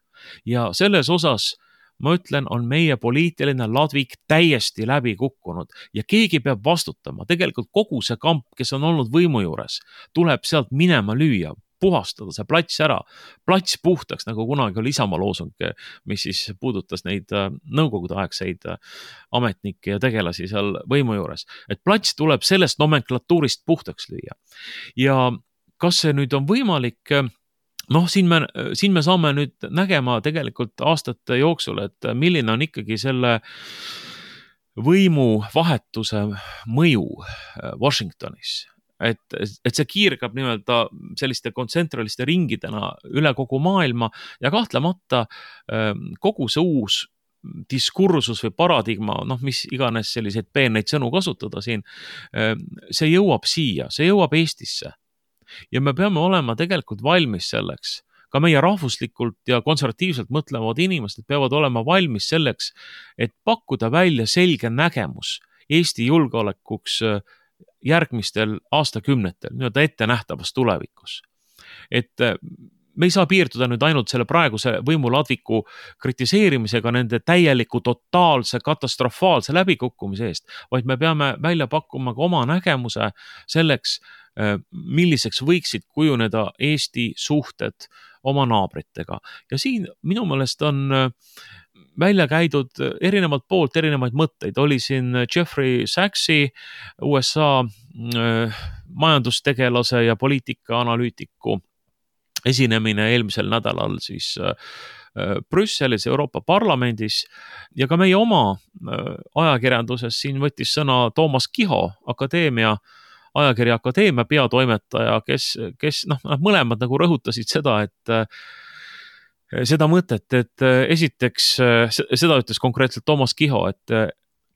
Ja selles osas ma ütlen, on meie poliitiline ladvik täiesti läbi kukkunud ja keegi peab vastutama. Tegelikult kogu see kamp, kes on olnud võimu juures, tuleb sealt minema lüüa, puhastada see plats ära, plats puhtaks, nagu kunagi oli Isamaa loosung, mis siis puudutas neid nõukogude aegseid ametnikke ja tegelasi seal võimu juures. Et plats tuleb sellest nomenklatuurist puhtaks lüüa. Ja kas see nüüd on võimalik? Noh, siin me, siin me saame nüüd nägema tegelikult aastate jooksul, et milline on ikkagi selle võimuvahetuse mõju Washingtonis. Et, et see kiirgab nimelt selliste kontsentraliste ringidena üle kogu maailma ja kahtlemata kogu see uus diskursus või paradigma, noh, mis iganes selliseid peeneid sõnu kasutada siin, see jõuab siia, see jõuab Eestisse. Ja me peame olema tegelikult valmis selleks. Ka meie rahvuslikult ja konservatiivselt mõtlevad inimesed peavad olema valmis selleks, et pakkuda välja selge nägemus Eesti julgeolekuks järgmistel aastakümnetel, nii-öelda ette nähtavas tulevikus. Et me ei saa piirduda nüüd ainult selle praeguse võimuladviku kritiseerimisega nende täieliku, totaalse, katastrofaalse läbikukkumise eest, vaid me peame välja pakkuma ka oma nägemuse selleks, milliseks võiksid kujuneda Eesti suhted oma naabritega. Ja siin minu meelest on välja käidud erinevalt poolt erinevaid mõtteid. Oli siin Jeffrey Sachsi, U S A majandustegelase ja poliitikaanalüütiku esinemine eelmisel nädalal siis Brüsselis Euroopa Parlamendis ja ka meie oma ajakirjanduses siin võttis sõna Toomas Kiho, akadeemia ajakirja Akadeemia peatoimetaja, kes, kes noh, mõlemad nagu rõhutasid seda, et seda mõtet, et esiteks, seda ütles konkreetselt Toomas Kiho, et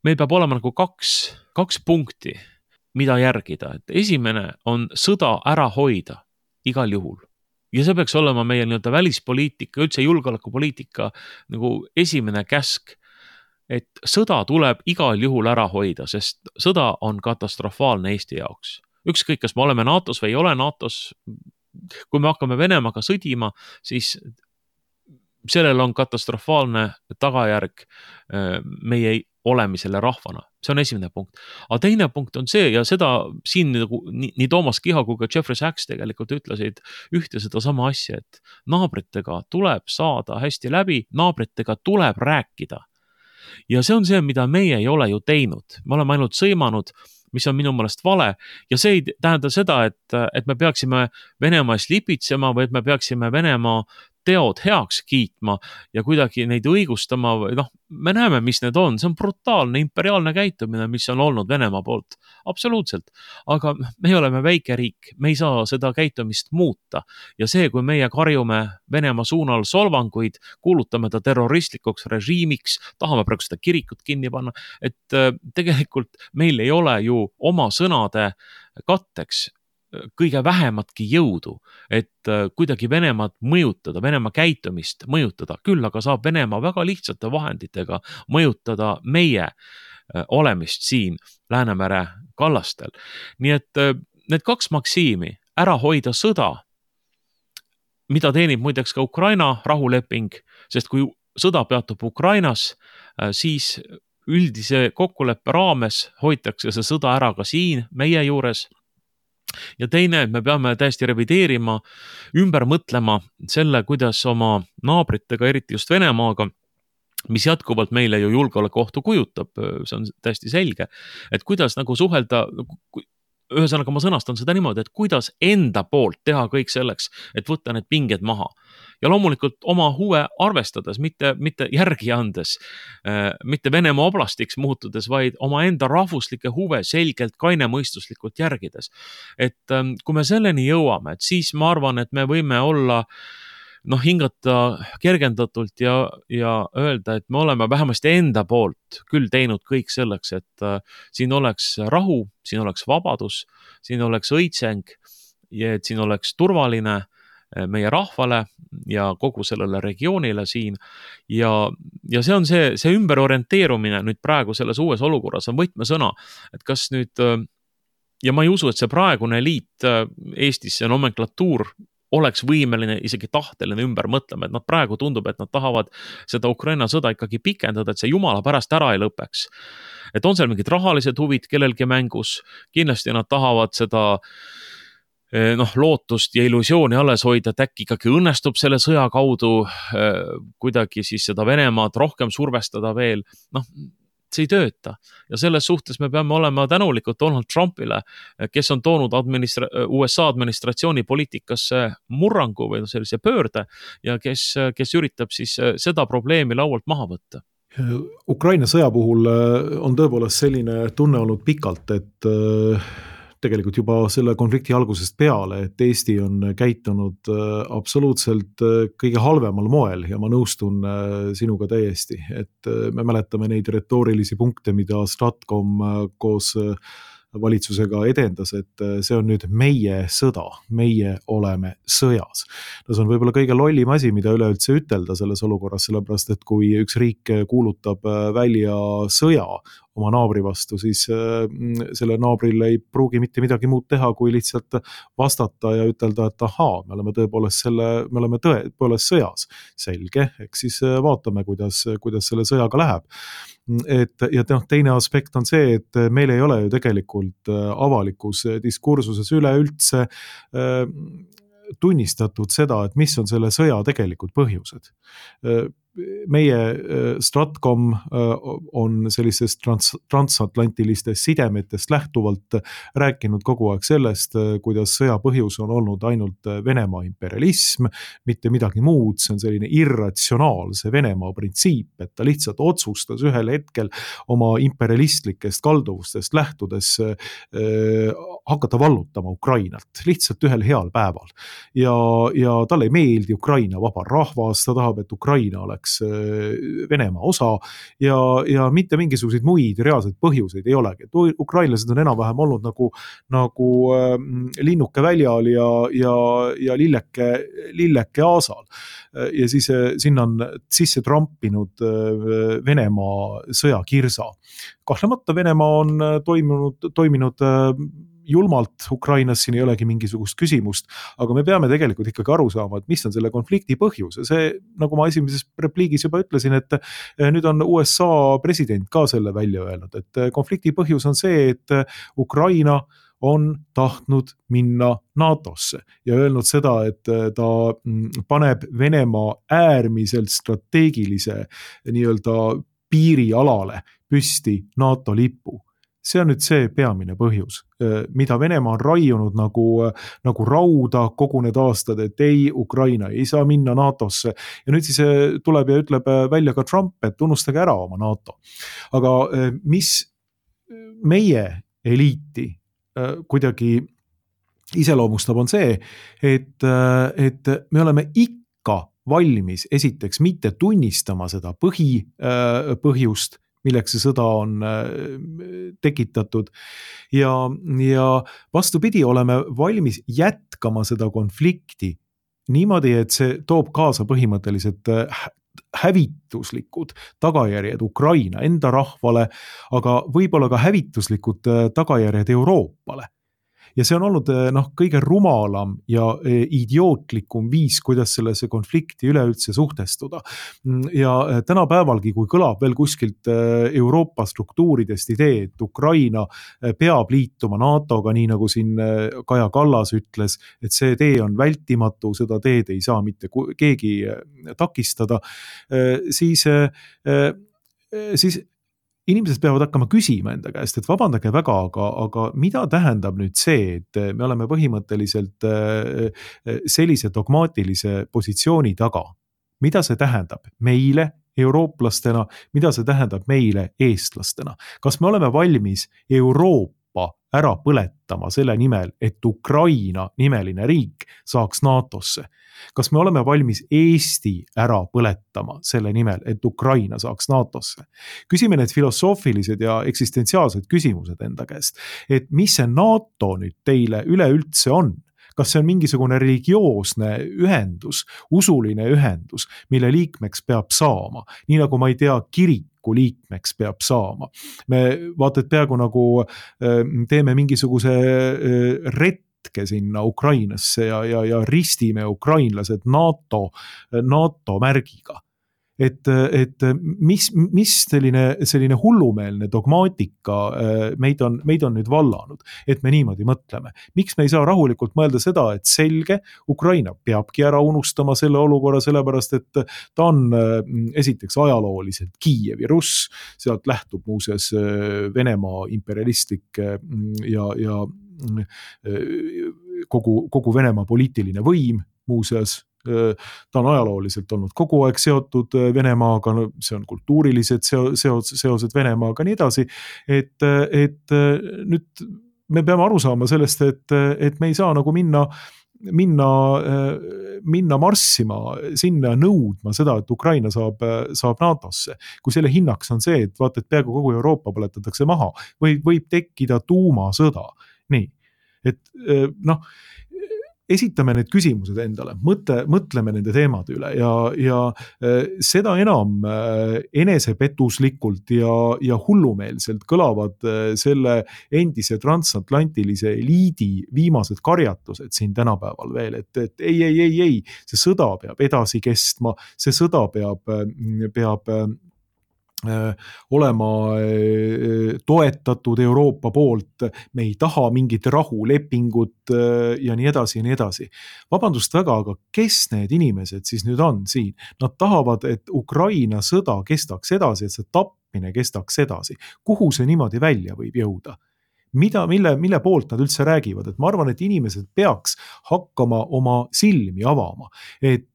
meil peab olema nagu kaks, kaks punkti, mida järgida. Et esimene on sõda ära hoida igal juhul. Ja see peaks olema meie nii-öelda välispoliitika, üldse julgeolekupoliitika nagu esimene käsk, et sõda tuleb igal juhul ära hoida, sest sõda on katastrofaalne Eesti jaoks. Ükskõik, kas me oleme NATOs või ei ole NATOs, kui me hakkame Venemaaga sõdima, siis sellel on katastrofaalne tagajärg meie olemisele rahvana. See on esimene punkt. Aga teine punkt on see, ja seda siin nagu, nii, nii Toomas Kiho kui ka Jeffrey Sachs tegelikult ütlesid ühte seda sama asja, et naabritega tuleb saada hästi läbi, naabritega tuleb rääkida. Ja see on see, mida meie ei ole ju teinud. Me oleme ainult sõimanud, mis on minu meelest vale. Ja see ei tähenda seda, et, et me peaksime Venemaas lipitsema või et me peaksime Venemaa teod heaks kiitma ja kuidagi neid õigustama või noh, me näeme, mis need on. See on brutaalne imperiaalne käitumine, mis on olnud Venemaa poolt. Absoluutselt. Aga me oleme väike riik, me ei saa seda käitumist muuta. Ja see, kui meie karjume Venemaa suunal solvanguid, kuulutame ta terroristlikuks režiimiks, tahame praegu seda kirikut kinni panna, et tegelikult meil ei ole ju oma sõnade katteks kõige vähematki jõudu, et kuidagi Venemaad mõjutada, Venemaa käitumist mõjutada, küll aga saab Venemaa väga lihtsate vahenditega mõjutada meie olemist siin Läänemere kallastel. Nii et need kaks maksiimi, ära hoida sõda, mida teenib muideks ka Ukraina rahuleping, sest kui sõda peatub Ukrainas, siis üldise kokkuleppe raames hoitakse see sõda ära ka siin meie juures. Ja teine, me peame täiesti revideerima, ümber mõtlema selle, kuidas oma naabritega, eriti just Venemaaga, mis jätkuvalt meile ju julgeolekuohtu kujutab, see on täiesti selge, et kuidas nagu suhelda, ühesõnaga ma sõnastan seda niimoodi, et kuidas enda poolt teha kõik selleks, et võtta need pinged maha. Ja loomulikult oma huve arvestades, mitte, mitte järgi andes, mitte Venemaa oblastiks muutudes, vaid oma enda rahvuslike huve selgelt kainemõistuslikult järgides. Et kui me selleni jõuame, et siis ma arvan, et me võime olla noh, hingata kergendatult ja, ja öelda, et me oleme vähemasti enda poolt küll teinud kõik selleks, et uh, siin oleks rahu, siin oleks vabadus, siin oleks õitseng ja et siin oleks turvaline meie rahvale ja kogu sellele regioonile siin. Ja, ja see on see, see ümberorienteerumine nüüd praegu selles uues olukorras on võtmesõna, et kas nüüd, ja ma ei usu, et see praegune eliit Eestis, see nomenklatuur oleks võimeline isegi tahteline ümber mõtlema, et nad praegu tundub, et nad tahavad seda Ukraina sõda ikkagi pikendada, et see jumala pärast ära ei lõpeks. Et on seal mingid rahalised huvid kellelgi mängus, kindlasti nad tahavad seda noh, lootust ja illusiooni alles hoida, et äkki ikkagi õnnestub selle sõja kaudu kuidagi siis seda Venemaad rohkem survestada veel, noh, see ei tööta. Ja selles suhtes me peame olema tänulikud Donald Trumpile, kes on toonud administra- U S A administratsiooni poliitikasse murrangu või sellise pöörde ja kes, kes üritab siis seda probleemi laualt maha võtta. Ukraina sõja puhul on tõepoolest selline tunne olnud pikalt, et tegelikult juba selle konflikti algusest peale, et Eesti on käitunud absoluutselt kõige halvemal moel ja ma nõustun sinuga täiesti, et me mäletame neid retoorilisi punkte, mida Stratcom koos valitsusega edendas, et see on nüüd meie sõda, meie oleme sõjas. No see on võib-olla kõige lollim asi, mida üleüldse ütelda selles olukorras, sellepärast et kui üks riik kuulutab välja sõja oma naabri vastu, siis selle naabril ei pruugi mitte midagi muud teha, kui lihtsalt vastata ja ütelda, et ahaa, me oleme tõepoolest selle, me oleme tõepoolest sõjas. Selge, eks siis vaatame, kuidas, kuidas selle sõjaga läheb. Et, ja teine aspekt on see, et meil ei ole ju tegelikult avalikus diskursuses üleüldse tunnistatud seda, et mis on selle sõja tegelikult põhjused. Meie Stratcom on sellisest trans- transatlantilistest sidemetest lähtuvalt rääkinud kogu aeg sellest, kuidas sõja põhjus on olnud ainult Venemaa imperialism, mitte midagi muud, see on selline irratsionaalse Venemaa printsiip, et ta lihtsalt otsustas ühel hetkel oma imperialistlikest kalduvustest lähtudes äh, hakata vallutama Ukrainat, lihtsalt ühel heal päeval. Ja, ja talle ei meeldi Ukraina vaba rahvas, ta tahab, et Ukraina oleks Venemaa osa ja, ja mitte mingisuguseid muid reaalseid põhjuseid ei olegi. Et ukrainlased on enam-vähem olnud nagu, nagu äh, linnuke väljal ja, ja, ja lilleke, lilleke aasal. Ja siis äh, sinna on sisse trampinud äh, Venemaa sõjakirsa. Kahtlemata Venemaa on toimunud, toiminud äh, julmalt Ukrainas, siin ei olegi mingisugust küsimust, aga me peame tegelikult ikkagi aru saama, et mis on selle konflikti põhjus. See, nagu ma esimeses repliigis juba ütlesin, et nüüd on U S A president ka selle välja öelnud, et konflikti põhjus on see, et Ukraina on tahtnud minna NATOsse ja öelnud seda, et ta paneb Venemaa äärmiselt strateegilise nii-öelda piirialale püsti NATO lipu. See on nüüd see peamine põhjus, mida Venemaa on raiunud nagu, nagu rauda kogu need aastad, et ei, Ukraina ei saa minna NATOsse. Ja nüüd siis tuleb ja ütleb välja ka Trump, et tunnustage ära oma NATO. Aga mis meie eliiti kuidagi iseloomustab on see, et, et me oleme ikka valmis esiteks mitte tunnistama seda põhi, põhjust, milleks see sõda on tekitatud ja, ja vastupidi oleme valmis jätkama seda konflikti niimoodi, et see toob kaasa põhimõtteliselt hävituslikud tagajärjed Ukraina enda rahvale, aga võib-olla ka hävituslikud tagajärjed Euroopale. Ja see on olnud noh, kõige rumalam ja idiootlikum viis, kuidas sellesse konflikti üleüldse suhtestuda. Ja tänapäevalgi, kui kõlab veel kuskilt Euroopa struktuuridest idee, et Ukraina peab liituma NATOga, nii nagu siin Kaja Kallas ütles, et see tee on vältimatu, seda teed ei saa mitte keegi takistada, siis, siis inimesed peavad hakkama küsima enda käest, et vabandage väga, aga, aga mida tähendab nüüd see, et me oleme põhimõtteliselt sellise dogmaatilise positsiooni taga? Mida see tähendab meile eurooplastena, mida see tähendab meile eestlastena? Kas me oleme valmis Euroopa ära põletama selle nimel, et Ukraina nimeline riik saaks NATOsse? Kas me oleme valmis Eesti ära põletama selle nimel, et Ukraina saaks NATOsse? Küsime need filosoofilised ja eksistentsiaalsed küsimused enda käest, et mis see NATO nüüd teile üleüldse on? kas see on mingisugune religioosne ühendus, usuline ühendus, mille liikmeks peab saama, nii nagu ma ei tea, kiriku liikmeks peab saama. Me vaata, et peaaegu nagu teeme mingisuguse retke sinna Ukrainasse ja, ja, ja ristime ukrainlased NATO, NATO märgiga. Et, et mis, mis selline, selline hullumeelne dogmaatika meid on, meid on nüüd vallanud, et me niimoodi mõtleme. Miks me ei saa rahulikult mõelda seda, et selge, Ukraina peabki ära unustama selle olukorra, sellepärast et ta on esiteks ajalooliselt Kiievi Russ, sealt lähtub muuseas Venemaa imperialistlik ja, ja kogu, kogu Venemaa poliitiline võim muuseas. Ta on ajalooliselt olnud kogu aeg seotud Venemaaga, no see on kultuurilised seos, seosed Venemaaga nii edasi, et, et nüüd me peame aru saama sellest, et, et me ei saa nagu minna, minna, minna marssima sinna nõudma seda, et Ukraina saab, saab NATOsse, kui selle hinnaks on see, et vaata, et peaaegu kogu Euroopa põletatakse maha või võib tekkida tuumasõda. Nii, et noh, esitame need küsimused endale, mõtle, mõtleme nende teemade üle ja, ja seda enam enesepetuslikult ja, ja hullumeelselt kõlavad selle endise transatlantilise eliidi viimased karjatused siin tänapäeval veel, et, et ei, ei, ei, ei, see sõda peab edasi kestma, see sõda peab, peab olema toetatud Euroopa poolt, me ei taha mingit rahulepingut ja nii edasi ja nii edasi. Vabandust väga, aga kes need inimesed siis nüüd on siin? Nad tahavad, et Ukraina sõda kestaks edasi, et see tapmine kestaks edasi. Kuhu see niimoodi välja võib jõuda? Mida, mille, mille poolt nad üldse räägivad, et ma arvan, et inimesed peaks hakkama oma silmi avama, et,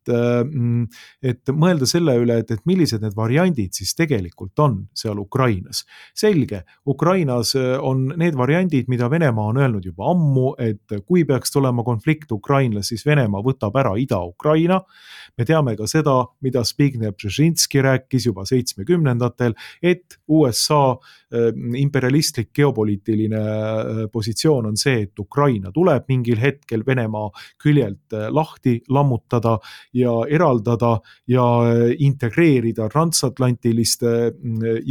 et mõelda selle üle, et, et millised need variandid siis tegelikult on seal Ukrainas. Selge, Ukrainas on need variandid, mida Venemaa on öelnud juba ammu, et kui peaks tulema konflikt Ukrainas, siis Venemaa võtab ära Ida-Ukraina. Me teame ka seda, mida Zbigniew Brzezinski rääkis juba seitsmekümnendatel, et U S A imperialistlik geopoliitiline positsioon on see, et Ukraina tuleb mingil hetkel Venemaa küljelt lahti lammutada ja eraldada ja integreerida transatlantiliste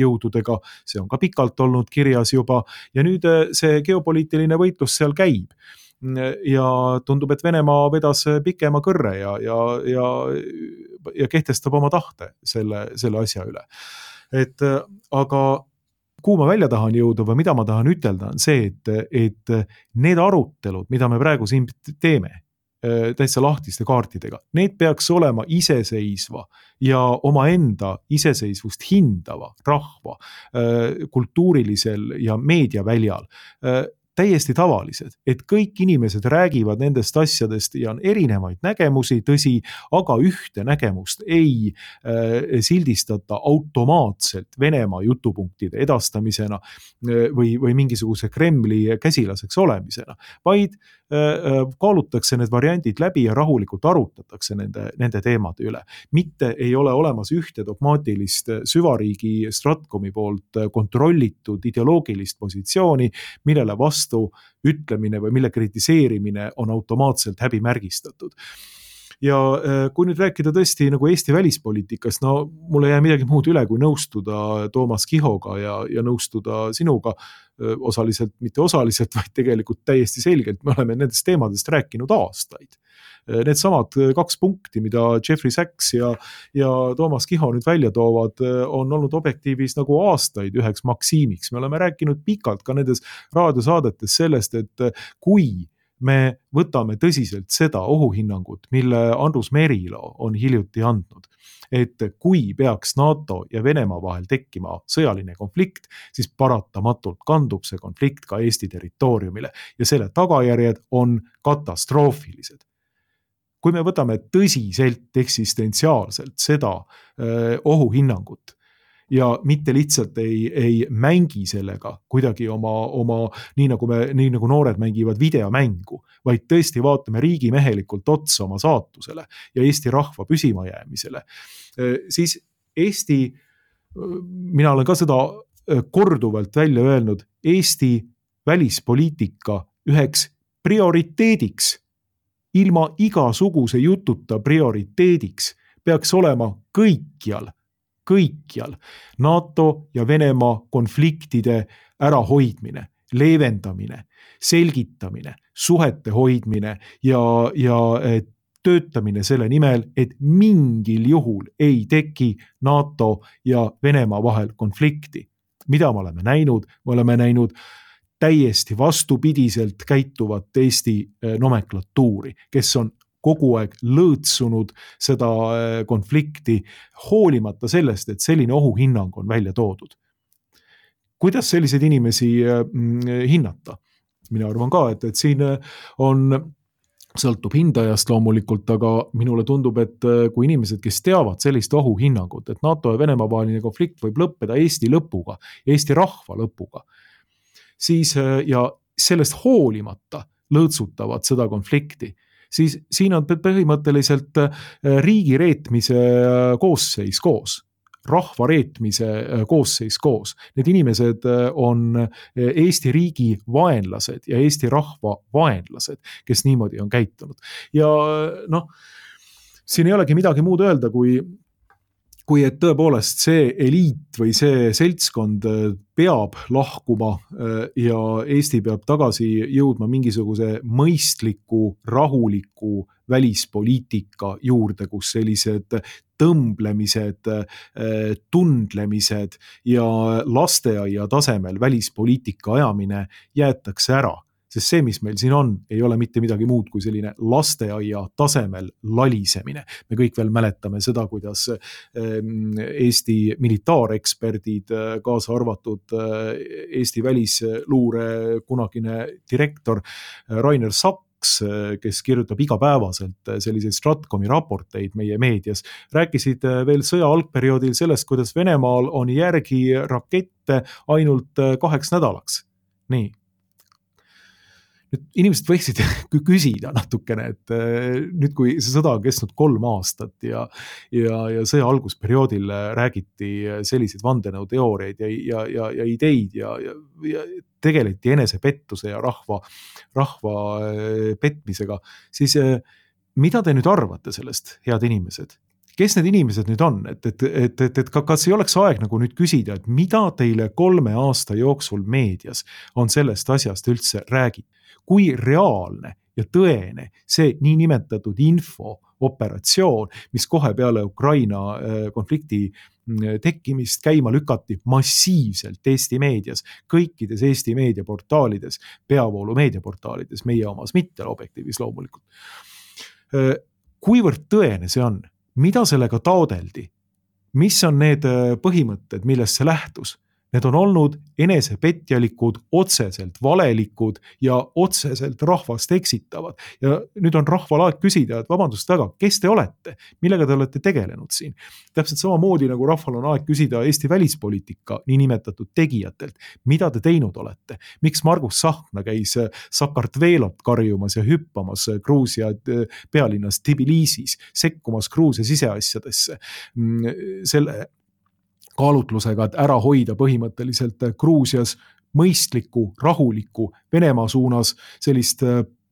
jõududega. See on ka pikalt olnud kirjas juba ja nüüd see geopoliitiline võitlus seal käib. Ja tundub, et Venemaa vedas pikema kõrre ja, ja, ja, ja kehtestab oma tahte selle, selle asja üle. Et aga kuhu ma välja tahan jõuda või mida ma tahan ütelda, on see, et, et need arutelud, mida me praegu siin teeme, täitsa lahtiste kaartidega, need peaks olema iseseisva ja omaenda iseseisvust hindava rahva kultuurilisel ja meediaväljal täiesti tavalised, et kõik inimesed räägivad nendest asjadest ja on erinevaid nägemusi, tõsi, aga ühte nägemust ei äh, sildistata automaatselt Venemaa jutupunktide edastamisena või, või mingisuguse Kremli käsilaseks olemisena, vaid äh, kaalutakse need variandid läbi ja rahulikult arutatakse nende, nende teemade üle. Mitte ei ole olemas ühte dogmaatilist süvariigi Stratkomi poolt kontrollitud ideoloogilist positsiooni, millele vastu ütlemine või mille kritiseerimine on automaatselt häbimärgistatud. Ja kui nüüd rääkida tõesti nagu Eesti välispoliitikast, no mulle jää midagi muud üle, kui nõustuda Toomas Kihoga ja, ja nõustuda sinuga osaliselt, mitte osaliselt, vaid tegelikult täiesti selgelt. Me oleme nendest teemadest rääkinud aastaid. Need samad kaks punkti, mida Jeffrey Sachs ja, ja Toomas Kiho nüüd välja toovad, on olnud objektiivis nagu aastaid üheks maksiimiks. Me oleme rääkinud pikalt ka nendes raadiosaadetes sellest, et kui me võtame tõsiselt seda ohuhinnangut, mille Andrus Merilo on hiljuti andnud, et kui peaks NATO ja Venemaa vahel tekkima sõjaline konflikt, siis paratamatult kandub see konflikt ka Eesti territooriumile ja selle tagajärjed on katastroofilised. Kui me võtame tõsiselt eksistentsiaalselt seda öö, ohuhinnangut ja mitte lihtsalt ei, ei mängi sellega kuidagi oma, oma nii, nagu me, nii nagu noored mängivad videomängu, vaid tõesti vaatame riigimehelikult otsa oma saatusele ja Eesti rahva püsimajäämisele, siis Eesti, mina olen ka seda korduvalt välja öelnud, Eesti välispoliitika üheks prioriteediks ilma igasuguse jututa prioriteediks peaks olema kõikjal, kõikjal NATO ja Venemaa konfliktide ärahoidmine, leevendamine, selgitamine, suhete hoidmine ja, ja töötamine selle nimel, et mingil juhul ei teki NATO ja Venemaa vahel konflikti. Mida me oleme näinud? Me oleme näinud täiesti vastupidiselt käituvat Eesti nomenklatuuri, kes on kogu aeg lõõtsunud seda konflikti, hoolimata sellest, et selline ohuhinnang on välja toodud. Kuidas selliseid inimesi hinnata? Mina arvan ka, et, et siin on, sõltub hindajast loomulikult, aga minule tundub, et kui inimesed, kes teavad sellist ohuhinnangut, et NATO ja Venemaa vaheline konflikt võib lõppeda Eesti lõpuga, Eesti rahva lõpuga, siis ja sellest hoolimata lõõtsutavad seda konflikti, siis siin on põhimõtteliselt riigi reetmise koosseis koos, rahva reetmise koosseis koos. Need inimesed on Eesti riigi vaenlased ja Eesti rahva vaenlased, kes niimoodi on käitunud. Ja noh, siin ei olegi midagi muud öelda, kui kui et tõepoolest see eliit või see seltskond peab lahkuma ja Eesti peab tagasi jõudma mingisuguse mõistliku, rahuliku välispoliitika juurde, kus sellised tõmblemised, tundlemised ja lasteaia tasemel välispoliitika ajamine jäetakse ära. Sest see, mis meil siin on, ei ole mitte midagi muud kui selline lasteaia tasemel lalisemine. Me kõik veel mäletame seda, kuidas Eesti militaareksperdid, kaasa arvatud Eesti välisluure kunagine direktor Rainer Saks, kes kirjutab igapäevaselt selliseid Stratkomi raporteid meie meedias, rääkisid veel sõja algperioodil sellest, kuidas Venemaal on järgi rakette ainult kaheks nädalaks. Nii. Nüüd inimesed võiksid küsida natukene, et nüüd kui see sõda on kestnud kolm aastat ja, ja, ja sõja algusperioodil räägiti selliseid vandenõuteooriaid ja, ja, ja, ja ideid ja, ja, ja tegeleti enesepettuse ja rahva, rahva petmisega, siis mida te nüüd arvate sellest, head inimesed? Kes need inimesed nüüd on? Et, et, et, et, et kas ei oleks aeg nagu nüüd küsida, et mida teile kolme aasta jooksul meedias on sellest asjast üldse räägib? Kui reaalne ja tõene see niinimetatud infooperatsioon, mis kohe peale Ukraina konflikti tekkimist käima lükati massiivselt Eesti meedias, kõikides Eesti meediaportaalides, peavoolu meediaportaalides, meie omas mitte objektiivis loomulikult. Kuivõrd tõene see on? Mida sellega taodeldi? Mis on need põhimõtted, millest see lähtus? Need on olnud enesepetjalikud, otseselt valelikud ja otseselt rahvast eksitavad. Ja nüüd on rahval aeg küsida, et vabandust väga, kes te olete? Millega te olete tegelenud siin? Täpselt samamoodi nagu rahval on aeg küsida Eesti välispoliitika niinimetatud tegijatelt. Mida te teinud olete? Miks Margus Tsahkna käis Sakartvelot karjumas ja hüppamas Gruusia pealinnas Tbilisis, sekkumas Gruusia siseasjadesse? Selle kaalutlusega, et ära hoida põhimõtteliselt Gruusias mõistlikku, rahulikku Venemaa suunas sellist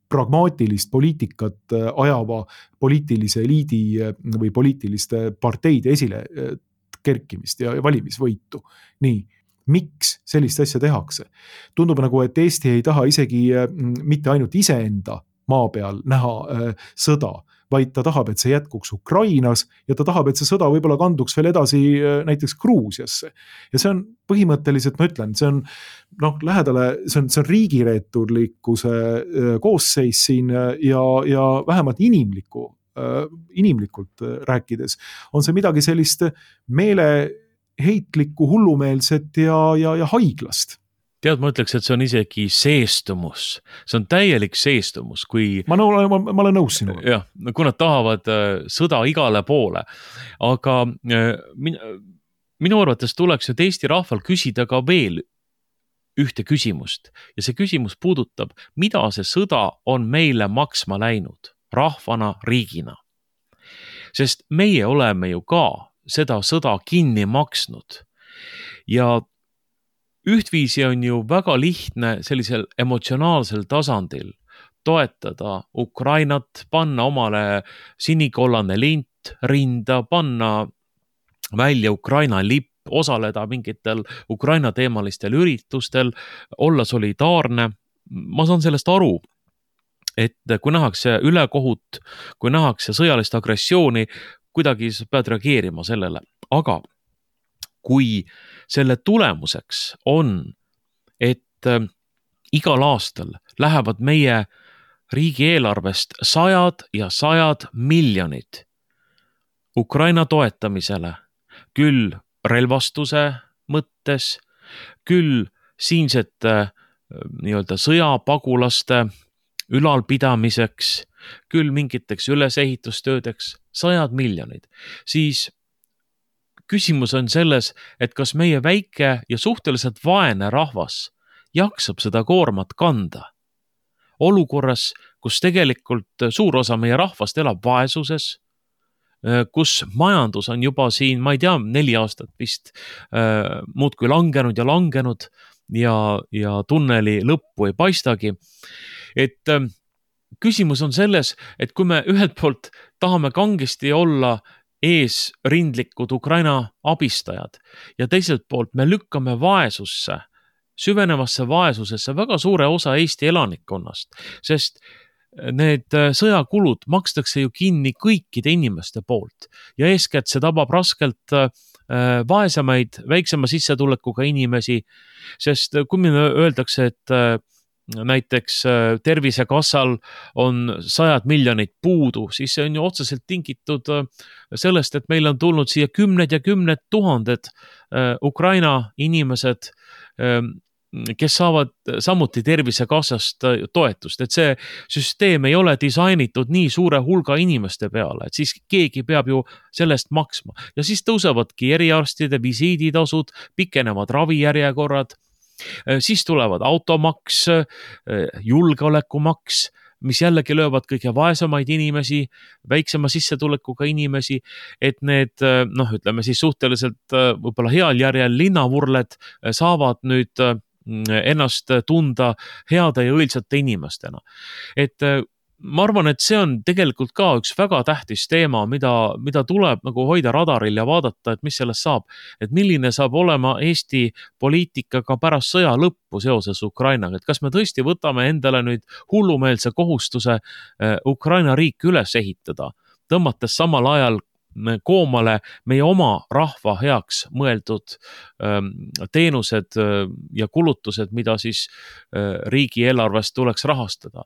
pragmaatilist poliitikat ajava poliitilise eliidi või poliitiliste parteide esile kerkimist ja valimisvõitu. Nii, miks sellist asja tehakse? Tundub nagu, et Eesti ei taha isegi mitte ainult iseenda maa peal näha sõda, vaid ta tahab, et see jätkuks Ukrainas ja ta tahab, et see sõda võib-olla kanduks veel edasi näiteks Gruusiasse. Ja see on põhimõtteliselt, ma ütlen, see on, noh, lähedale, see on, see on riigireeturlikkuse koosseis siin ja, ja vähemalt inimliku, inimlikult rääkides on see midagi sellist meeleheitlikku, hullumeelset ja, ja, ja haiglast. Tead, ma ütleks, et see on isegi seestumus. See on täielik seestumus, kui... Ma, nõu, ma, ma olen nõus sinuga. Jah, kui nad tahavad sõda igale poole. Aga min, minu arvates tuleks nüüd Eesti rahval küsida ka veel ühte küsimust. Ja see küsimus puudutab, mida see sõda on meile maksma läinud, rahvana, riigina. Sest meie oleme ju ka seda sõda kinni maksnud. Ja ühtviisi on ju väga lihtne sellisel emotsionaalsel tasandil toetada Ukrainat, panna omale sinikollane lint rinda, panna välja Ukraina lipp, osaleda mingitel Ukraina teemalistel üritustel, olla solidaarne. Ma saan sellest aru, et kui nähakse ülekohut, kui nähakse sõjalist agressiooni, kuidagi pead reageerima sellele. Aga kui selle tulemuseks on, et igal aastal lähevad meie riigieelarvest sajad ja sajad miljonid Ukraina toetamisele, küll relvastuse mõttes, küll siinsete nii-öelda sõjapagulaste ülalpidamiseks, küll mingiteks ülesehitustöödeks, sajad miljonid, siis küsimus on selles, et kas meie väike ja suhteliselt vaene rahvas jaksab seda koormat kanda. Olukorras, kus tegelikult suur osa meie rahvast elab vaesuses, kus majandus on juba siin, ma ei tea, neli aastat vist äh, muudkui langenud ja langenud ja, ja tunneli lõppu ei paistagi. Et äh, küsimus on selles, et kui me ühelt poolt tahame kangesti olla eesrindlikud Ukraina abistajad ja teiselt poolt me lükkame vaesusse, süvenevasse vaesusesse väga suure osa Eesti elanikkonnast, sest need sõjakulud makstakse ju kinni kõikide inimeste poolt ja eeskätt see tabab raskelt vaesemaid, väiksema sissetulekuga inimesi, sest kui meile öeldakse, et näiteks Tervisekassal on sajad miljonid puudu, siis see on ju otseselt tingitud sellest, et meil on tulnud siia kümned ja kümned tuhanded Ukraina inimesed, kes saavad samuti Tervisekassast toetust, et see süsteem ei ole disainitud nii suure hulga inimeste peale, et siis keegi peab ju sellest maksma ja siis tõusevadki eriarstide visiiditasud, pikenevad ravijärjekorrad, siis tulevad automaks, julgeolekumaks, mis jällegi löövad kõige vaesemaid inimesi, väiksema sissetulekuga inimesi, et need, noh, ütleme siis suhteliselt võib-olla heal järjel linnavurled saavad nüüd ennast tunda heade ja õilsate inimestena. Et ma arvan, et see on tegelikult ka üks väga tähtis teema, mida, mida tuleb nagu hoida radaril ja vaadata, et mis sellest saab, et milline saab olema Eesti poliitika ka pärast sõja lõppu seoses Ukrainaga, et kas me tõesti võtame endale nüüd hullumeelse kohustuse Ukraina riik üles ehitada, tõmmates samal ajal koomale meie oma rahva heaks mõeldud teenused ja kulutused, mida siis riigieelarvest tuleks rahastada.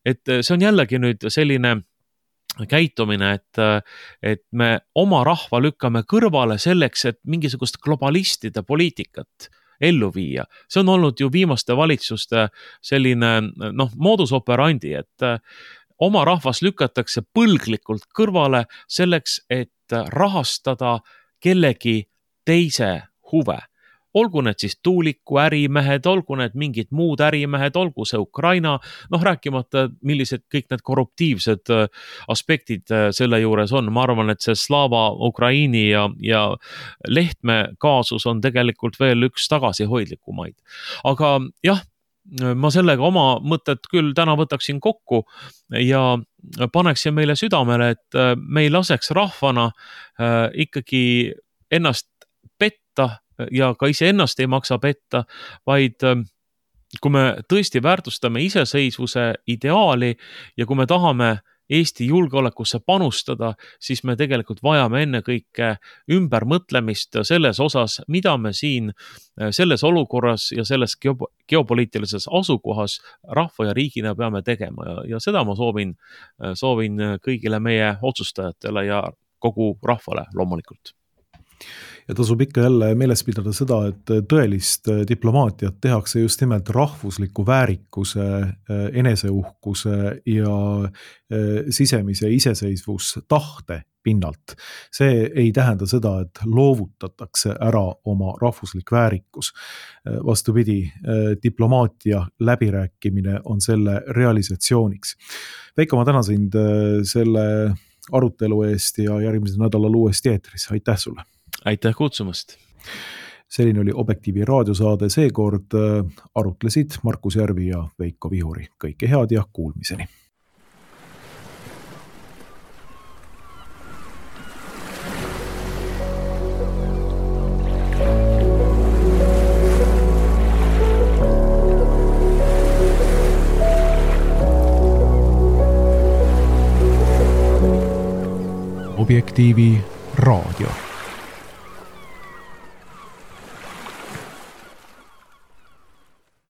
Et see on jällegi nüüd selline käitumine, et, et me oma rahva lükkame kõrvale selleks, et mingisugust globalistide poliitikat ellu viia. See on olnud ju viimaste valitsuste selline, noh, modus operandi, et oma rahvas lükatakse põlglikult kõrvale selleks, et rahastada kellegi teise huve. Olgu need siis tuuliku ärimehed, olgu need mingid muud ärimehed, olgu see Ukraina, noh rääkimata, millised kõik need korruptiivsed aspektid selle juures on. Ma arvan, et see Slava Ukraini ja, ja Lehtme kaasus on tegelikult veel üks tagasihoidlikumaid. Aga jah, ma sellega oma mõtted küll täna võtaksin kokku ja paneksin meile südamele, et me ei laseks rahvana ikkagi ennast petta ja ka ise ennast ei maksa petta, vaid kui me tõesti väärtustame iseseisvuse ideaali ja kui me tahame Eesti julgeolekusse panustada, siis me tegelikult vajame ennekõike ümbermõtlemist selles osas, mida me siin selles olukorras ja selles geopoliitilises asukohas rahva ja riigina peame tegema ja, ja seda ma soovin, soovin kõigile meie otsustajatele ja kogu rahvale loomulikult. Ja tasub ikka jälle meeles pidada seda, et tõelist diplomaatiat tehakse just nimelt rahvusliku väärikuse, eneseuhkuse ja sisemise iseseisvus tahte pinnalt. See ei tähenda seda, et loovutatakse ära oma rahvuslik väärikus. Vastupidi, diplomaatia läbirääkimine on selle realisatsiooniks. Veiko, ma tänan sind selle arutelu eest ja järgmisel nädalal uuesti eetris. Aitäh sulle! Aitäh kutsumast! selline oli Objektiivi raadiosaade, seekord arutlesid Markus Järvi ja Veiko Vihuri. Kõike head ja kuulmiseni! Objektiivi raadio.